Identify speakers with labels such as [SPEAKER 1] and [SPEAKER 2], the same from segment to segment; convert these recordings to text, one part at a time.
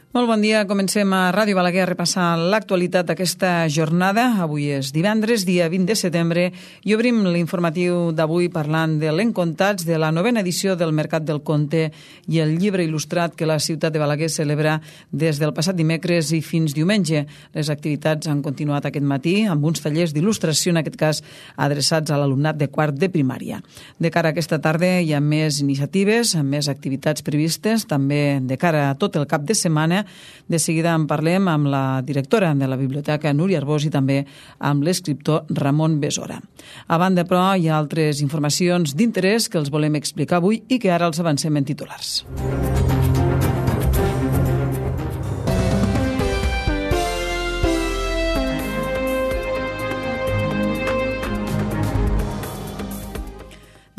[SPEAKER 1] Molt bon dia. Comencem a Ràdio Balaguer a repassar l'actualitat d'aquesta jornada. Avui és divendres, dia 20 de setembre, i obrim l'informatiu d'avui parlant de l'Encontats, de la 9a edició del Mercat del Conte i el llibre il·lustrat que la ciutat de Balaguer celebra des del passat dimecres i fins diumenge. Les activitats han continuat aquest matí amb uns tallers d'il·lustració, en aquest cas adreçats a l'alumnat de quart de primària. De cara a aquesta tarda hi ha més iniciatives, més activitats previstes, també de cara a tot el cap de setmana. De seguida en parlem amb la directora de la biblioteca, Núria Arbós, i també amb l'escriptor Ramon Besora. A banda, però, hi ha altres informacions d'interès que els volem explicar avui i que ara els avancem en titulars.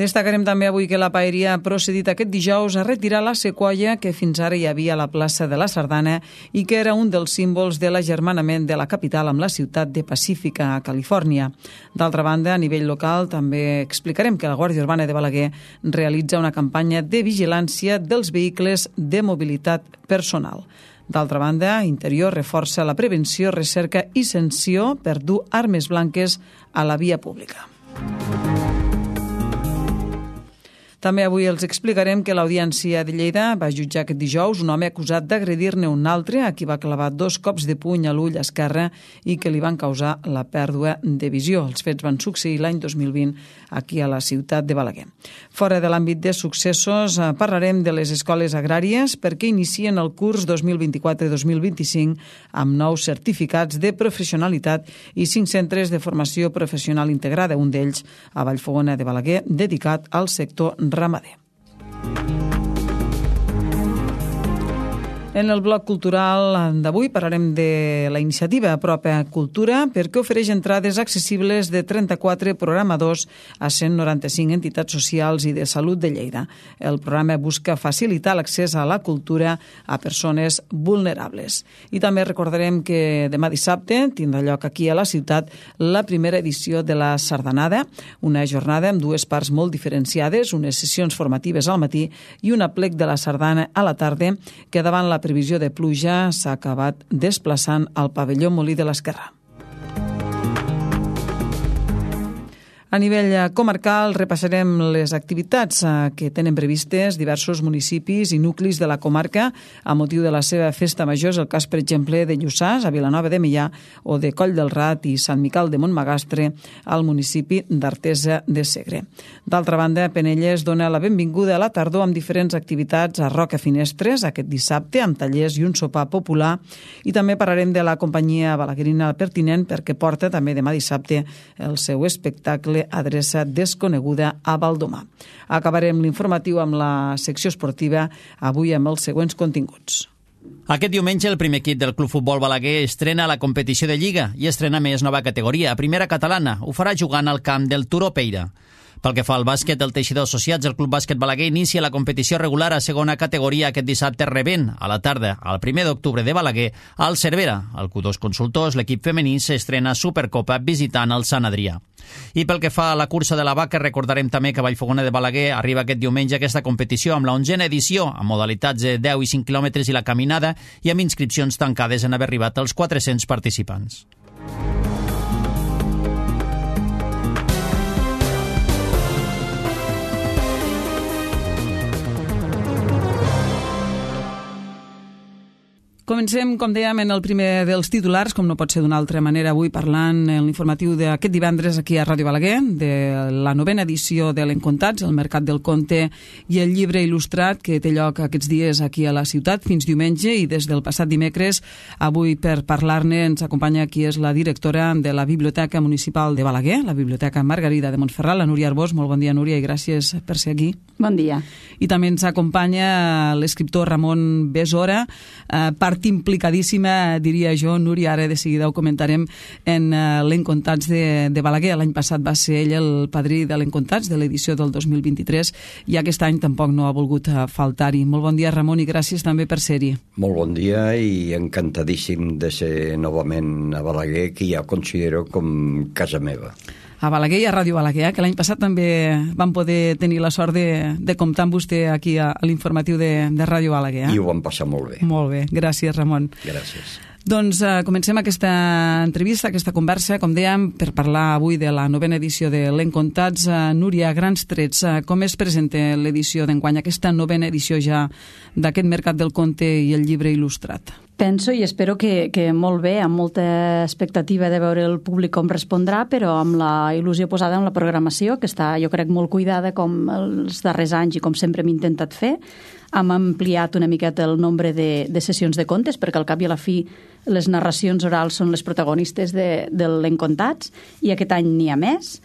[SPEAKER 1] Destacarem també avui que la Paeria ha procedit aquest dijous a retirar la sequoia que fins ara hi havia a la plaça de la Sardana i que era un dels símbols de l'agermanament de la capital amb la ciutat de Pacífica, a Califòrnia. D'altra banda, a nivell local, també explicarem que la Guàrdia Urbana de Balaguer realitza una campanya de vigilància dels vehicles de mobilitat personal. D'altra banda, Interior reforça la prevenció, recerca i sanció per dur armes blanques a la via pública. També avui els explicarem que l'Audiència de Lleida va jutjar aquest dijous un home acusat d'agredir-ne un altre, a qui va clavar 2 cops de puny a l'ull esquerre i que li van causar la pèrdua de visió. Els fets van succeir l'any 2020 aquí a la ciutat de Balaguer. Fora de l'àmbit de successos, parlarem de les escoles agràries perquè inicien el curs 2024-2025 amb nous certificats de professionalitat i 5 centres de formació professional integrada, un d'ells a Vallfogona de Balaguer, dedicat al sector ramader. En el bloc cultural d'avui parlarem de la iniciativa Apropa Cultura perquè ofereix entrades accessibles de 34 programadors a 195 entitats socials i de salut de Lleida. El programa busca facilitar l'accés a la cultura a persones vulnerables. I també recordarem que demà dissabte tindrà lloc aquí a la ciutat la primera edició de la Sardanada, una jornada amb 2 parts molt diferenciades, unes sessions formatives al matí i un aplec de la sardana a la tarda, que davant la previsió de pluja s'ha acabat desplaçant al pavelló Molí de l'Esquerrà. A nivell comarcal repassarem les activitats que tenen previstes diversos municipis i nuclis de la comarca a motiu de la seva festa major. És el cas, per exemple, de Lluçàs, a Vilanova de Meià, o de Coll del Rat i Sant Miquel de Montmagastre, al municipi d'Artesa de Segre. D'altra banda, Penelles dona la benvinguda a la tardor amb diferents activitats a Roca Finestres aquest dissabte, amb tallers i un sopar popular. I també parlarem de la companyia balaguerina Pertinent, perquè porta també demà dissabte el seu espectacle Adreça desconeguda a Valdomà. Acabarem l'informatiu amb la secció esportiva, avui amb els següents continguts.
[SPEAKER 2] Aquest diumenge el primer equip del Club Futbol Balaguer estrena la competició de Lliga i estrena més nova categoria, primera catalana. Ho farà jugant al camp del Turó Peira. Pel que fa al bàsquet del Teixidor Associats, el Club Bàsquet Balaguer inicia la competició regular a segona categoria aquest dissabte rebent a la tarda, el 1 d'octubre de Balaguer, al Cervera. El Q2 Consultors, l'equip femení, s'estrena Supercopa visitant el Sant Adrià. I pel que fa a la cursa de la vaca, recordarem també que Vallfogona de Balaguer arriba aquest diumenge a aquesta competició amb la 11a edició, amb modalitats de 10 i 5 quilòmetres i la caminada, i amb inscripcions tancades en haver arribat als 400 participants.
[SPEAKER 1] Comencem, com dèiem, en el primer dels titulars, com no pot ser d'una altra manera, avui parlant en l'informatiu d'aquest divendres aquí a Ràdio Balaguer, de la 9a edició de l'Encontats, el Mercat del Conte i el llibre il·lustrat que té lloc aquests dies aquí a la ciutat fins diumenge i des del passat dimecres. Avui, per parlar-ne, ens acompanya qui és la directora de la Biblioteca Municipal de Balaguer, la Biblioteca Margarida de Montferrat, la Núria Arbós. Molt bon dia, Núria, i gràcies per ser aquí.
[SPEAKER 3] Bon dia.
[SPEAKER 1] I també ens acompanya l'escriptor Ramon Besora, part implicadíssima, diria jo, Núria, ara de seguida ho comentarem, en l'Encontats de Balaguer. L'any passat va ser ell el padrí de l'Encontats de l'edició del 2023 i aquest any tampoc no ha volgut faltar-hi. Molt bon dia, Ramon, i gràcies també per ser-hi.
[SPEAKER 4] Molt bon dia i encantadíssim de ser novament a Balaguer, que ja considero com casa meva.
[SPEAKER 1] a Balaguer i a Ràdio Balaguer, que l'any passat també vam poder tenir la sort de comptar amb vostè aquí a l'informatiu de Ràdio Balaguer.
[SPEAKER 3] I ho vam passar molt bé.
[SPEAKER 1] Molt bé, gràcies, Ramon.
[SPEAKER 3] Gràcies.
[SPEAKER 1] Doncs comencem aquesta entrevista, aquesta conversa, com dèiem, per parlar avui de la 9a edició de l'Encontats. Núria, a grans trets, com es presenta l'edició d'enguany, aquesta 9a edició ja d'aquest mercat del conte i el llibre il·lustrat?
[SPEAKER 4] Penso i espero que molt bé, amb molta expectativa de veure el públic com respondrà, però amb la il·lusió posada en la programació, que està, jo crec, molt cuidada com els darrers anys i com sempre hem intentat fer. Hem ampliat una miqueta el nombre de sessions de contes, perquè al cap i a la fi les narracions orals són les protagonistes de l'Encontats, i aquest any n'hi ha més.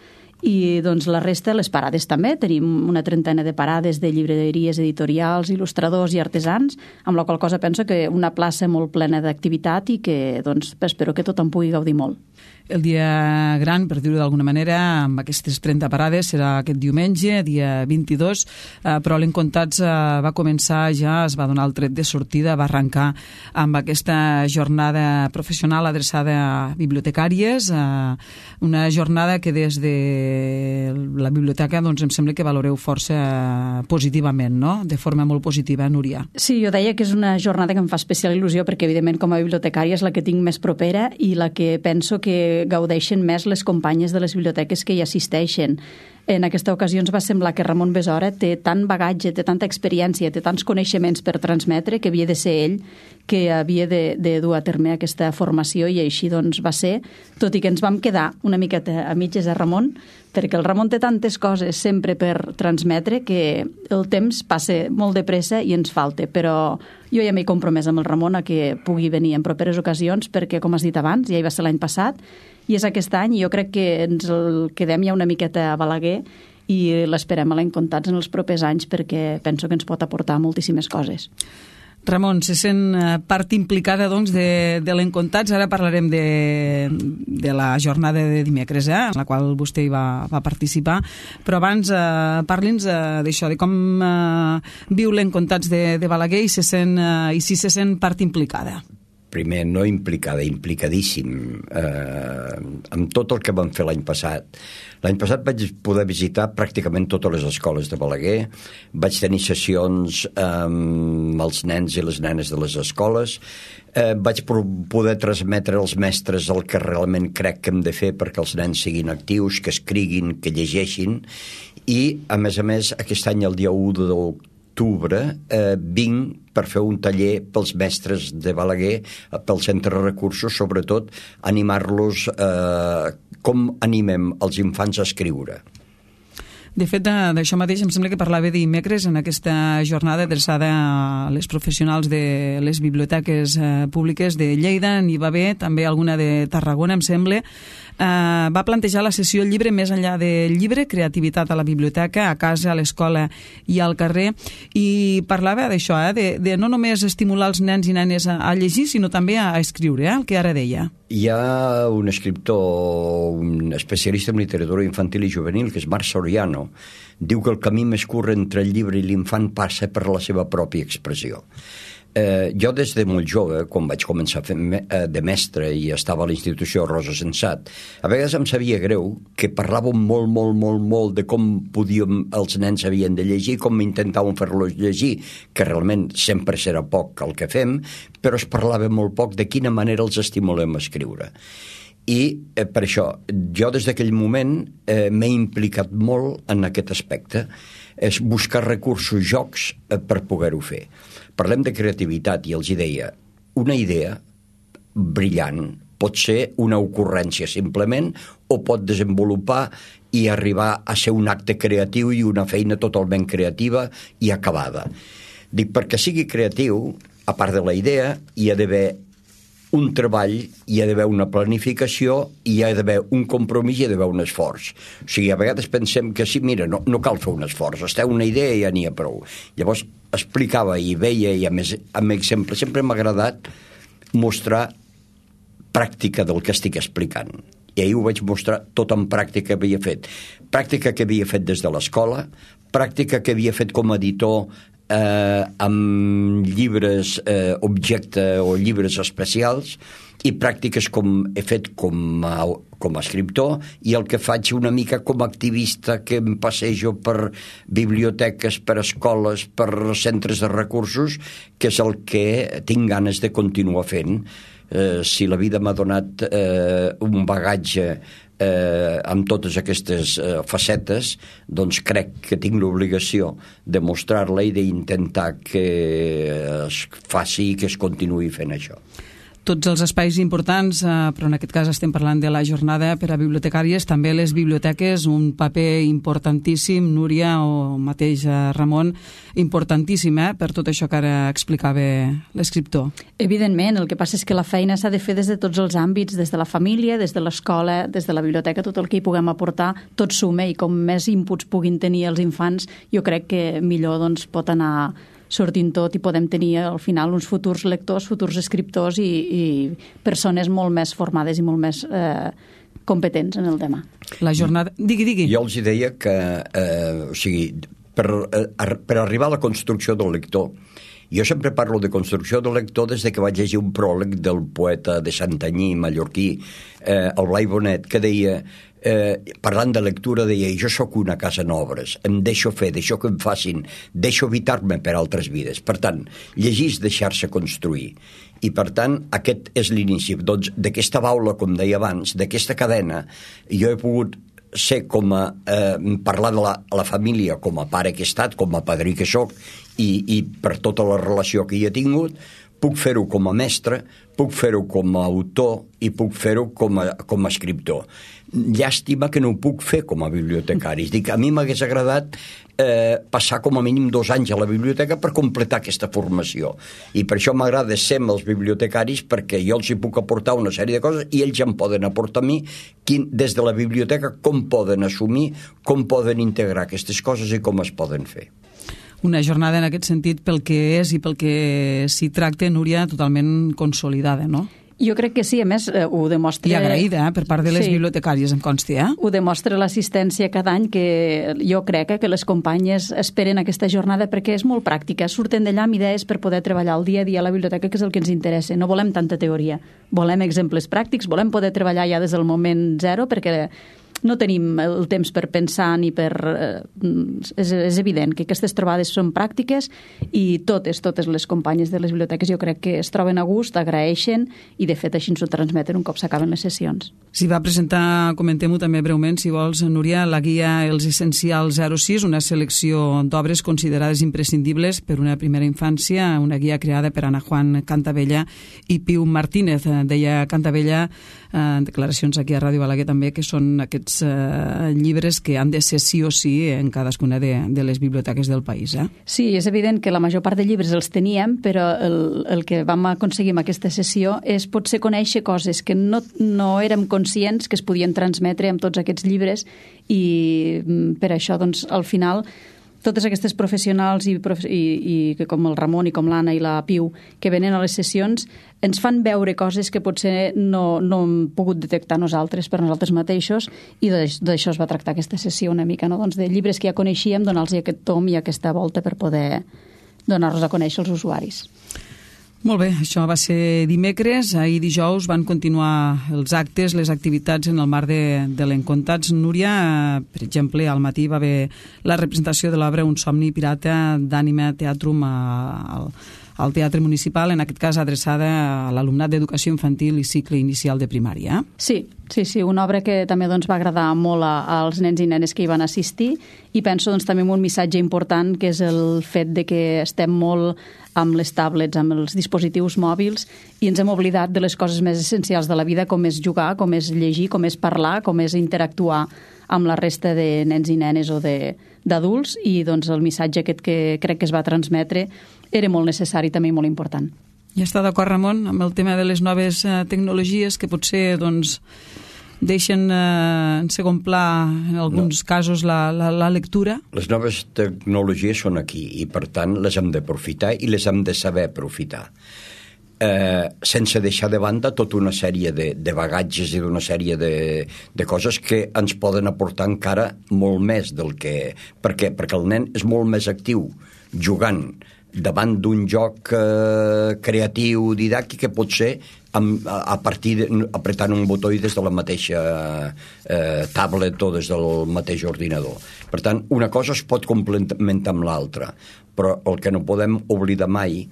[SPEAKER 4] I doncs la resta, les parades també. Tenim una 30 de parades de llibreries, editorials, il·lustradors i artesans, amb la qual cosa penso que una plaça molt plena d'activitat i que doncs, espero que tothom pugui gaudir molt.
[SPEAKER 1] El dia gran, per dir-ho d'alguna manera, amb aquestes 30 parades, serà aquest diumenge, dia 22, però l'Encontats va començar ja, es va donar el tret de sortida, va arrencar amb aquesta jornada professional adreçada a bibliotecàries, una jornada que des de la biblioteca doncs, em sembla que valoreu força positivament, no? De forma molt positiva, Núria.
[SPEAKER 4] Sí, jo deia que és una jornada que em fa especial il·lusió perquè, evidentment, com a bibliotecària és la que tinc més propera i la que penso que gaudeixen més les companyes de les biblioteques que hi assisteixen. En aquesta ocasió ens va semblar que Ramon Besora té tant bagatge, té tanta experiència, té tants coneixements per transmetre que havia de ser ell que havia de dur a terme aquesta formació i així doncs va ser, tot i que ens vam quedar una miqueta a mitges a Ramon, perquè el Ramon té tantes coses sempre per transmetre que el temps passa molt de pressa i ens falta, però jo ja m'he compromès amb el Ramon a que pugui venir en properes ocasions perquè, com has dit abans, ja hi va ser l'any passat i és aquest any i jo crec que ens el quedem ja una miqueta a Balaguer i l'esperem a l'Encontats en els propers anys perquè penso que ens pot aportar moltíssimes coses.
[SPEAKER 1] Ramon, se sent part implicada doncs, de l'Encontats. Ara parlarem de la jornada de dimecres, en la qual vostè hi va participar, però abans parli'ns d'això, de com viu l'Encontats de Balaguer i si se sent part implicada.
[SPEAKER 3] Primer, no implicada, implicadíssim amb tot el que vam fer l'any passat. L'any passat vaig poder visitar pràcticament totes les escoles de Balaguer, vaig tenir sessions amb els nens i les nenes de les escoles, vaig poder transmetre als mestres el que realment crec que hem de fer perquè els nens siguin actius, que escriguin, que llegeixin, i a més, aquest any, el dia 1 d'octubre, vinc per fer un taller pels mestres de Balaguer, pel Centre de Recursos, sobretot animar-los com animem els infants a escriure.
[SPEAKER 1] De fet, d'això mateix em sembla que parlava dimecres en aquesta jornada adreçada a les professionals de les biblioteques públiques de Lleida. N'hi va haver també alguna de Tarragona, em sembla. Va plantejar la sessió Llibre més enllà del llibre, creativitat a la biblioteca, a casa, a l'escola i al carrer, i parlava d'això, de no només estimular els nens i nenes a llegir, sinó també a escriure, el que ara deia.
[SPEAKER 3] Hi ha un escriptor, un especialista en literatura infantil i juvenil, que és Marc Soriano. Diu que el camí més curt entre el llibre i l'infant passa per la seva pròpia expressió. Jo des de molt jove, quan vaig començar a fer de mestre i estava a la institució Rosa Sensat, a vegades em sabia greu que parlàvem molt de com els nens havien de llegir, com intentàvem fer-los llegir, que realment sempre serà poc el que fem, però es parlava molt poc de quina manera els estimulem a escriure. I per això, jo des d'aquell moment m'he implicat molt en aquest aspecte, és buscar recursos, jocs per poder-ho fer. Parlem de creativitat i els deia, una idea brillant pot ser una ocurrència simplement o pot desenvolupar i arribar a ser un acte creatiu i una feina totalment creativa i acabada. Dic, perquè sigui creatiu, a part de la idea, hi ha d'haver un treball, hi ha d'haver una planificació, hi ha d'haver un compromís i hi ha d'haver un esforç. O sigui, a vegades pensem que sí, mira, no cal fer un esforç, està una idea i ja n'hi ha prou. Llavors explicava i veia, i a més, amb exemple, sempre m'ha agradat mostrar pràctica del que estic explicant. I ahir ho vaig mostrar tot en pràctica que havia fet. Pràctica que havia fet des de l'escola, pràctica que havia fet com a editor amb llibres objecte o llibres especials, i pràctiques com he fet com a escriptor, i el que faig una mica com a activista, que em passejo per biblioteques, per escoles, per centres de recursos, que és el que tinc ganes de continuar fent. Si la vida m'ha donat un bagatge amb totes aquestes facetes, doncs crec que tinc l'obligació de mostrar-la i d'intentar que es faci i que es continuï fent això.
[SPEAKER 1] Tots els espais importants, però en aquest cas estem parlant de la jornada per a bibliotecàries, també les biblioteques, un paper importantíssim, Núria o mateix Ramon, importantíssim per tot això que ara explicava l'escriptor.
[SPEAKER 4] Evidentment, el que passa és que la feina s'ha de fer des de tots els àmbits, des de la família, des de l'escola, des de la biblioteca, tot el que hi puguem aportar, tot suma, i com més inputs puguin tenir els infants, jo crec que millor doncs, pot anar sortint tot i podem tenir al final uns futurs lectors, futurs escriptors i persones molt més formades i molt més competents en el tema.
[SPEAKER 1] La jornada... Digui.
[SPEAKER 3] Jo els deia que per arribar a la construcció del lector, jo sempre parlo de construcció del lector des que vaig llegir un pròleg del poeta de Santanyí, mallorquí, el Blai Bonet, que deia, parlant de lectura, deia: jo sóc una casa en obres, em deixo fer, deixo que em facin, deixo evitar-me per altres vides. Per tant, llegir és deixar-se construir. I per tant, aquest és l'inici. Doncs d'aquesta baula, com deia abans, d'aquesta cadena, jo he pogut ser parlar de la família com a pare que he estat, com a padrí que sóc, i per tota la relació que hi he tingut. Puc fer-ho com a mestre, puc fer-ho com a autor i puc fer-ho com a escriptor. Llàstima que no ho puc fer com a bibliotecari. Dic, a mi m'hagués agradat passar com a mínim 2 anys a la biblioteca per completar aquesta formació. I per això m'agrada ser amb els bibliotecaris, perquè jo els hi puc aportar una sèrie de coses i ells em poden aportar a mi des de la biblioteca com poden assumir, com poden integrar aquestes coses i com es poden fer.
[SPEAKER 1] Una jornada en aquest sentit, pel que és i pel que s'hi tracta, Núria, totalment consolidada, no?
[SPEAKER 4] Jo crec que sí, a més ho demostra...
[SPEAKER 1] I agraïda per part de les bibliotecàries, em consti,
[SPEAKER 4] Ho demostra l'assistència cada any, que jo crec que les companyes esperen aquesta jornada perquè és molt pràctica, surten d'allà amb idees per poder treballar el dia a dia a la biblioteca, que és el que ens interessa. No volem tanta teoria, volem exemples pràctics, volem poder treballar ja des del moment zero, perquè no tenim el temps per pensar ni per... És evident que aquestes trobades són pràctiques i totes les companyes de les biblioteques jo crec que es troben a gust, agraeixen i de fet així ens ho transmeten un cop s'acaben les sessions.
[SPEAKER 1] S'hi va presentar, comentem-ho també breument, si vols, Núria, la guia Els Essencials 06, una selecció d'obres considerades imprescindibles per una primera infància, una guia creada per Ana Juan Cantabella i Piu Martínez. Deia Cantabella en declaracions aquí a Ràdio Balaguer també que són aquests llibres que han de ser sí o sí en cadascuna de les biblioteques del país.
[SPEAKER 4] Sí, és evident que la major part de llibres els teníem, però el que vam aconseguir amb aquesta sessió és potser conèixer coses que no érem conscients que es podien transmetre amb tots aquests llibres i per això, doncs, al final totes aquestes professionals i com el Ramon i com l'Anna i la Piu que venen a les sessions ens fan veure coses que potser no hem pogut detectar nosaltres per nosaltres mateixos i d'això es va tractar aquesta sessió una mica, no? Doncs de llibres que ja coneixíem, donar-los aquest tom i aquesta volta per poder donar-los a conèixer els usuaris.
[SPEAKER 1] Molt bé, això va ser dimecres. Ahir dijous van continuar els actes, les activitats en el marc de l'Encontats. Núria, per exemple, al matí va haver la representació de l'obra Un somni pirata d'Ànima Teatrum al Teatre Municipal, en aquest cas adreçada a l'alumnat d'educació infantil i cicle inicial de primària.
[SPEAKER 4] Sí, una obra que també doncs, va agradar molt als nens i nenes que hi van assistir i penso doncs, també en un missatge important que és el fet de que estem molt amb les tablets, amb els dispositius mòbils i ens hem oblidat de les coses més essencials de la vida, com és jugar, com és llegir, com és parlar, com és interactuar amb la resta de nens i nenes o d'adults i doncs, el missatge aquest que crec que es va transmetre era molt necessari també i molt important.
[SPEAKER 1] I està d'acord, Ramon, amb el tema de les noves tecnologies que potser doncs, deixen en segon pla en alguns casos la lectura?
[SPEAKER 3] Les noves tecnologies són aquí i per tant les hem d'aprofitar i les hem de saber aprofitar. Sense deixar de banda tota una sèrie de bagatges i d'una sèrie de coses que ens poden aportar encara molt més del que... Per què? Perquè el nen és molt més actiu jugant davant d'un joc creatiu, didàctic, que pot ser a partir apretant un botó i des de la mateixa tablet o des del mateix ordinador. Per tant, una cosa es pot complementar amb l'altra, però el que no podem oblidar mai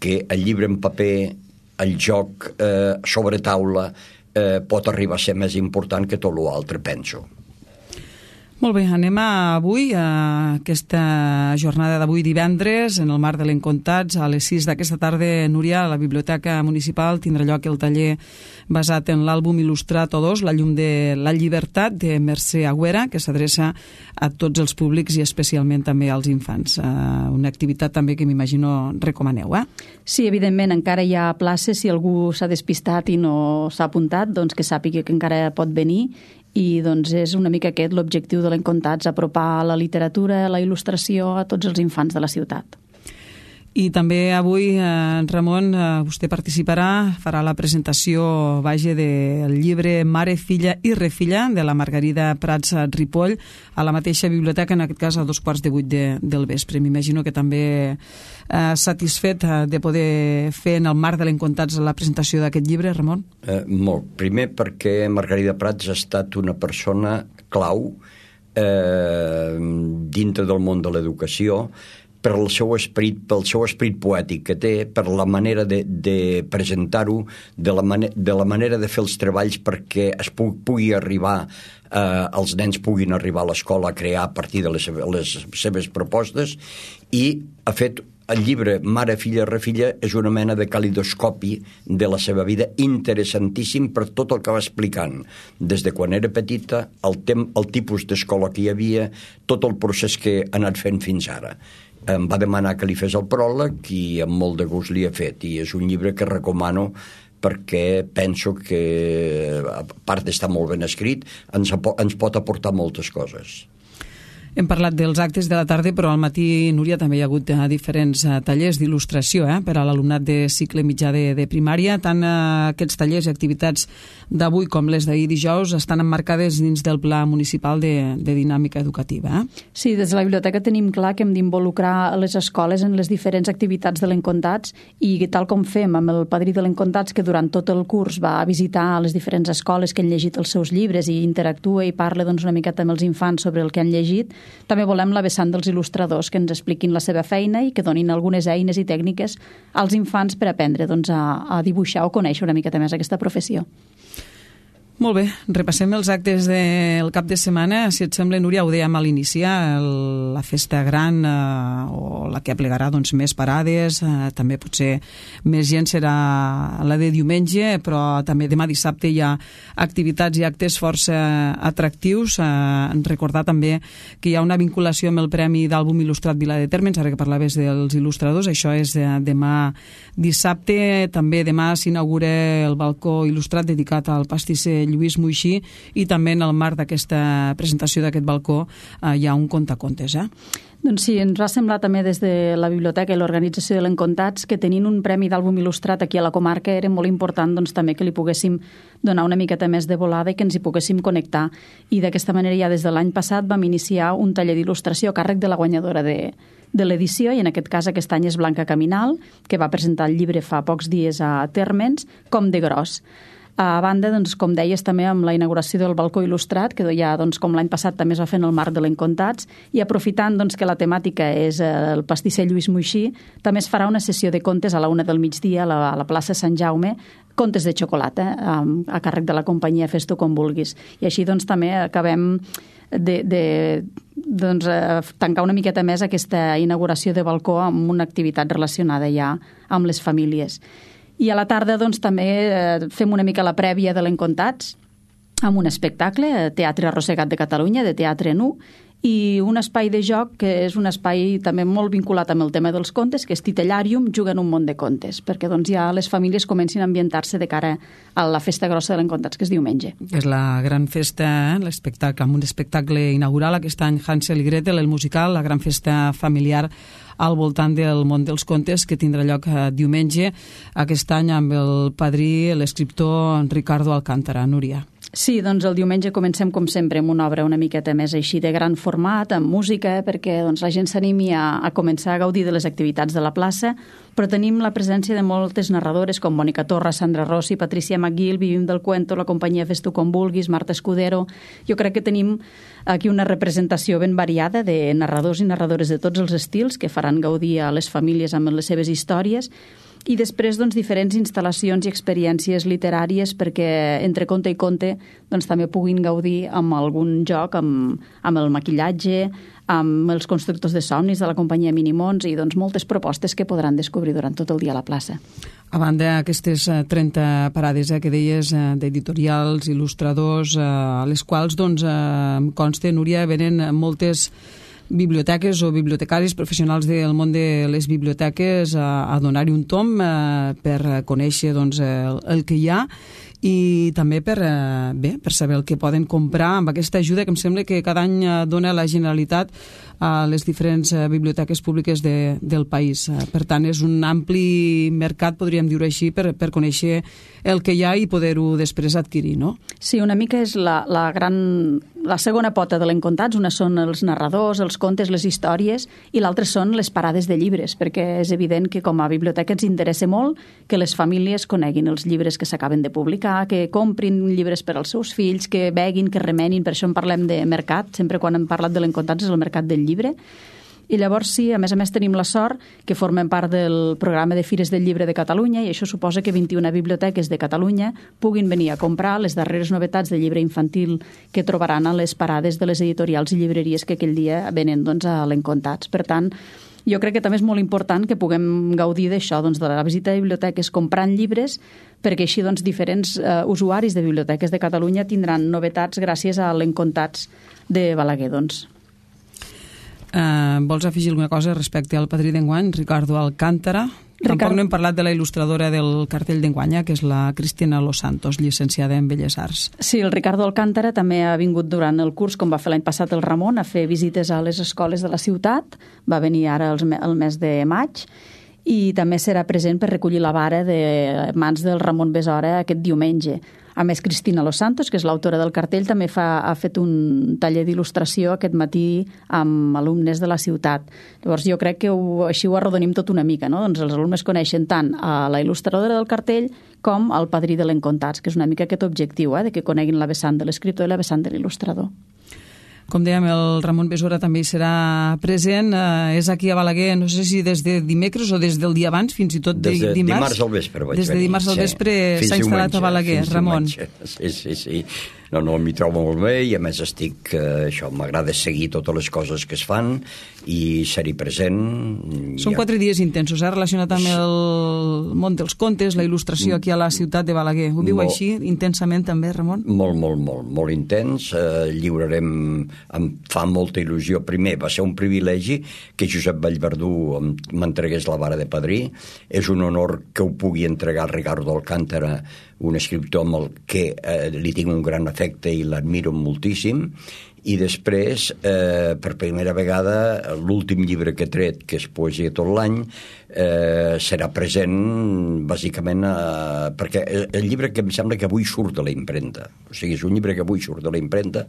[SPEAKER 3] que el llibre en paper, el joc sobre taula, pot arribar a ser més important que tot l'altre, penso.
[SPEAKER 1] Molt bé, anem avui a aquesta jornada d'avui divendres, en el marc de l'Encontats, a les 6 d'aquesta tarda, Núria, a la Biblioteca Municipal tindrà lloc el taller basat en l'àlbum il·lustrat O2, La llum de la llibertat, de Mercè Agüera, que s'adreça a tots els públics i especialment també als infants. Una activitat també que m'imagino recomaneu, eh?
[SPEAKER 4] Sí, evidentment, encara hi ha places. Si algú s'ha despistat i no s'ha apuntat, doncs que sàpiga que encara pot venir. I doncs és una mica aquest l'objectiu de l'Encontats, apropar la literatura, la il·lustració a tots els infants de la ciutat.
[SPEAKER 1] I també avui, Ramon, vostè participarà, farà la presentació, del llibre Mare, filla i refilla, de la Margarida Prats Ripoll, a la mateixa biblioteca, en aquest cas a 7:15 del vespre. M'imagino que també satisfet de poder fer en el marc de l'Encontats la presentació d'aquest llibre, Ramon?
[SPEAKER 3] Molt. Primer perquè Margarida Prats ha estat una persona clau dintre del món de l'educació, pel seu esperit poètic que té, per la manera de presentar-ho, de la manera de fer els treballs perquè es pugui arribar, els nens puguin arribar a l'escola a crear a partir de les seves propostes, i ha fet el llibre Mare, filla, refilla és una mena de calidoscopi de la seva vida, interessantíssim per tot el que va explicant, des de quan era petita, el tipus d'escola que hi havia, tot el procés que ha anat fent fins ara. Em va demanar que li fes el pròleg i amb molt de gust li he fet, i és un llibre que recomano perquè penso que, a part d'estar molt ben escrit, ens pot aportar moltes coses.
[SPEAKER 1] Hem parlat dels actes de la tarda, però al matí, Núria, també hi ha hagut diferents tallers d'il·lustració per a l'alumnat de cicle mitjà de primària. Tant aquests tallers i activitats d'avui com les d'ahir dijous estan emmarcades dins del Pla Municipal de Dinàmica Educativa.
[SPEAKER 4] Sí, des de la biblioteca tenim clar que hem d'involucrar les escoles en les diferents activitats de l'Encontats, i tal com fem amb el padrí de l'Encontats, que durant tot el curs va a visitar les diferents escoles que han llegit els seus llibres i interactua i parla una miqueta amb els infants sobre el que han llegit, també volem la vessant dels il·lustradors, que ens expliquin la seva feina i que donin algunes eines i tècniques als infants per aprendre a dibuixar o conèixer una miqueta més aquesta professió.
[SPEAKER 1] Molt bé, repassem els actes del cap de setmana. Si et sembla, Núria, ho dèiem a l'iniciar, la festa gran o la que aplegarà més parades, també potser més gent serà la de diumenge, però també demà dissabte hi ha activitats i actes força atractius. Recordar també que hi ha una vinculació amb el Premi d'Àlbum Il·lustrat Vila de Térmens, ara que parlaves dels il·lustradors, això és demà dissabte. També demà s'inaugura el balcó il·lustrat dedicat al pastisser Lluís Moixí, i també en el marc d'aquesta presentació d'aquest balcó hi ha un contacontes.
[SPEAKER 4] Doncs sí, ens va semblar també des de la biblioteca i l'organització de l'Encontats que tenint un premi d'àlbum il·lustrat aquí a la comarca era molt important també que li poguéssim donar una miqueta més de volada i que ens hi poguéssim connectar. I d'aquesta manera ja des de l'any passat vam iniciar un taller d'il·lustració a càrrec de la guanyadora de l'edició, i en aquest cas aquest any és Blanca Caminal, que va presentar el llibre fa pocs dies a Térmens, Com de gros. A banda, com deies, també amb la inauguració del balcó il·lustrat, que ja, com l'any passat també es va fer en el marc de l'Encontats, i aprofitant que la temàtica és el pastisser Lluís Moixí, també es farà una sessió de contes a la 1 del migdia a la plaça Sant Jaume, contes de xocolata, a càrrec de la companyia Fes-t'ho com vulguis. I així també acabem de tancar una miqueta més aquesta inauguració de balcó amb una activitat relacionada ja amb les famílies. I a la tarda també fem una mica la prèvia de l'Encontats amb un espectacle, Teatre Arrossegat de Catalunya, de Teatre Nu, i un espai de joc que és un espai també molt vinculat amb el tema dels contes, que és Titellàrium, juguen un món de contes, perquè ja les famílies comencin a ambientar-se de cara a la festa grossa de l'Encontats, que és diumenge.
[SPEAKER 1] És la gran festa, l'espectacle, amb un espectacle inaugural aquest any, Hansel i Gretel, el musical, la gran festa familiar al voltant del món dels contes, que tindrà lloc diumenge, aquest any amb el padrí, l'escriptor Ricardo Alcántara. Núria.
[SPEAKER 4] Sí, doncs el diumenge comencem com sempre amb una obra una miqueta més així de gran format, amb música, perquè doncs, la gent s'animi a començar a gaudir de les activitats de la plaça, però tenim la presència de moltes narradores com Mònica Torra, Sandra Rossi, Patricia McGill, Vivim del Cuento, la companyia Fes tu com vulguis, Marta Escudero. Jo crec que tenim aquí una representació ben variada de narradors i narradores de tots els estils que faran gaudir a les famílies amb les seves històries, i després doncs, diferents instal·lacions i experiències literàries perquè entre conte i conte doncs, també puguin gaudir amb algun joc, amb el maquillatge, amb els constructors de somnis de la companyia Minimons i doncs, moltes propostes que podran descobrir durant tot el dia a la plaça.
[SPEAKER 1] A banda d'aquestes 30 parades que deies d'editorials, il·lustradors, a les quals doncs, consta, Núria, venen moltes biblioteques o bibliotecaris professionals del món de les biblioteques a donar-hi un tom per conèixer doncs, el que hi ha i també per saber el que poden comprar amb aquesta ajuda que em sembla que cada any dona la Generalitat a les diferents biblioteques públiques del país. Per tant, és un ampli mercat, podríem dir-ho així, per conèixer el que hi ha i poder-ho després adquirir, no?
[SPEAKER 4] Sí, una mica és la segona pota de l'Encontats. Una són els narradors, els contes, les històries, i l'altra són les parades de llibres, perquè és evident que com a biblioteca ens interessa molt que les famílies coneguin els llibres que s'acaben de publicar, que comprin llibres per als seus fills, que beguin, que remenin. Per això en parlem de mercat. Sempre quan hem parlat de l'Encontats és el mercat del llibre. I llavors sí, a més tenim la sort que formem part del programa de Fires del Llibre de Catalunya i això suposa que 21 biblioteques de Catalunya puguin venir a comprar les darreres novetats de llibre infantil que trobaran a les parades de les editorials i llibreries que aquell dia venen doncs, a l'Encontats. Per tant, jo crec que també és molt important que puguem gaudir d'això, doncs, de la visita a biblioteques comprant llibres, perquè així doncs, diferents usuaris de biblioteques de Catalunya tindran novetats gràcies a l'Encontats de Balaguer, doncs.
[SPEAKER 1] Vols afegir alguna cosa respecte al padrí d'enguany, Ricardo Alcántara? Tampoc no hem parlat de la il·lustradora del cartell d'enguany, que és la Cristina Los Santos, llicenciada en Belles Arts.
[SPEAKER 4] Sí, el Ricardo Alcántara també ha vingut durant el curs, com va fer l'any passat el Ramon, a fer visites a les escoles de la ciutat. Va venir ara el mes de maig i també serà present per recollir la vara de mans del Ramon Besora aquest diumenge. A més, Cristina Los Santos, que és l'autora del cartell, també ha fet un taller d'il·lustració aquest matí amb alumnes de la ciutat. Llavors jo crec que així ho arrodonim tot una mica, no? Doncs els alumnes coneixen tant a la il·lustradora del cartell com al padrí de l'Encontats, que és una mica aquest objectiu, de que coneguin la vessant de l'escriptor i la vessant de l'il·lustrador.
[SPEAKER 1] Com dèiem, el Ramon Besora també hi serà present. És aquí a Balaguer, no sé si des de dimecres o des del dia abans, fins i tot
[SPEAKER 3] dimarts. Des de dimarts al vespre vaig venir.
[SPEAKER 1] Des de dimarts al vespre s'ha instal·lat a Balaguer, Ramon.
[SPEAKER 3] Sí. No, m'hi trobo molt bé i a més m'agrada seguir totes les coses que es fan i ser-hi present.
[SPEAKER 1] Són 4 dies intensos, relacionat amb el món dels contes, la il·lustració aquí a la ciutat de Balaguer. Ho viu així intensament també, Ramon?
[SPEAKER 3] Molt intens. Lliurarem, em fa molta il·lusió. Primer, va ser un privilegi que Josep Vallverdú m'entregués la vara de padrí. És un honor que ho pugui entregar a Ricardo Alcántara, un escriptor amb el que li tinc un gran afecte i l'admiro moltíssim. I després, per primera vegada, l'últim llibre que he tret, que és Poesia tot l'any, serà present bàsicament perquè el llibre que em sembla que avui surt de la impremta. O sigui, és un llibre que avui surt de la impremta,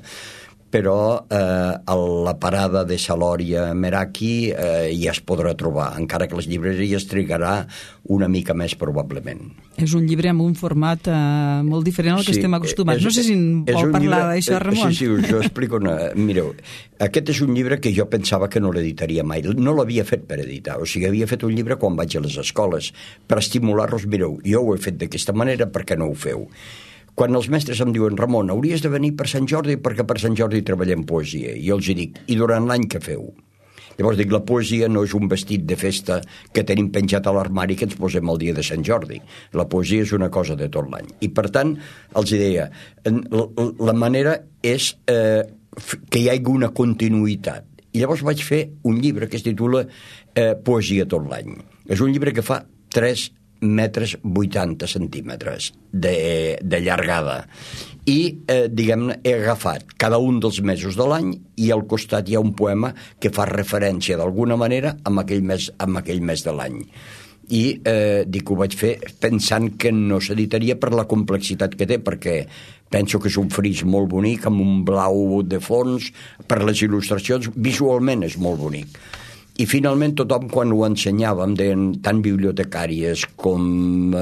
[SPEAKER 3] però a la parada de Salòria Meraki ja es podrà trobar, encara que les llibreries trigarà una mica més probablement.
[SPEAKER 1] És un llibre amb un format molt diferent al que estem acostumats. No sé si vol parlar d'això, Ramon.
[SPEAKER 3] Sí, us ho explico. Mireu, aquest és un llibre que jo pensava que no l'editaria mai. No l'havia fet per editar, o sigui, havia fet un llibre quan vaig a les escoles, per estimular-los. Mireu, jo ho he fet d'aquesta manera, per què no ho feu? Quan els mestres em diuen, Ramon, hauries de venir per Sant Jordi perquè per Sant Jordi treballem poesia. I jo els dic, i durant l'any què feu? Llavors dic, la poesia no és un vestit de festa que tenim penjat a l'armari que ens posem el dia de Sant Jordi. La poesia és una cosa de tot l'any. I per tant, els deia, la manera és que hi hagi una continuïtat. I llavors vaig fer un llibre que es titula Poesia tot l'any. És un llibre que fa 3 metres 80 centímetres de llargada i diguem-ne he agafat cada un dels mesos de l'any i al costat hi ha un poema que fa referència d'alguna manera amb aquell mes de l'any I dic que ho vaig fer pensant que no s'editaria per la complexitat que té, perquè penso que és un fris molt bonic, amb un blau de fons, per les il·lustracions, visualment és molt bonic. I finalment tothom, quan ho ensenyava, em deien tant bibliotecàries com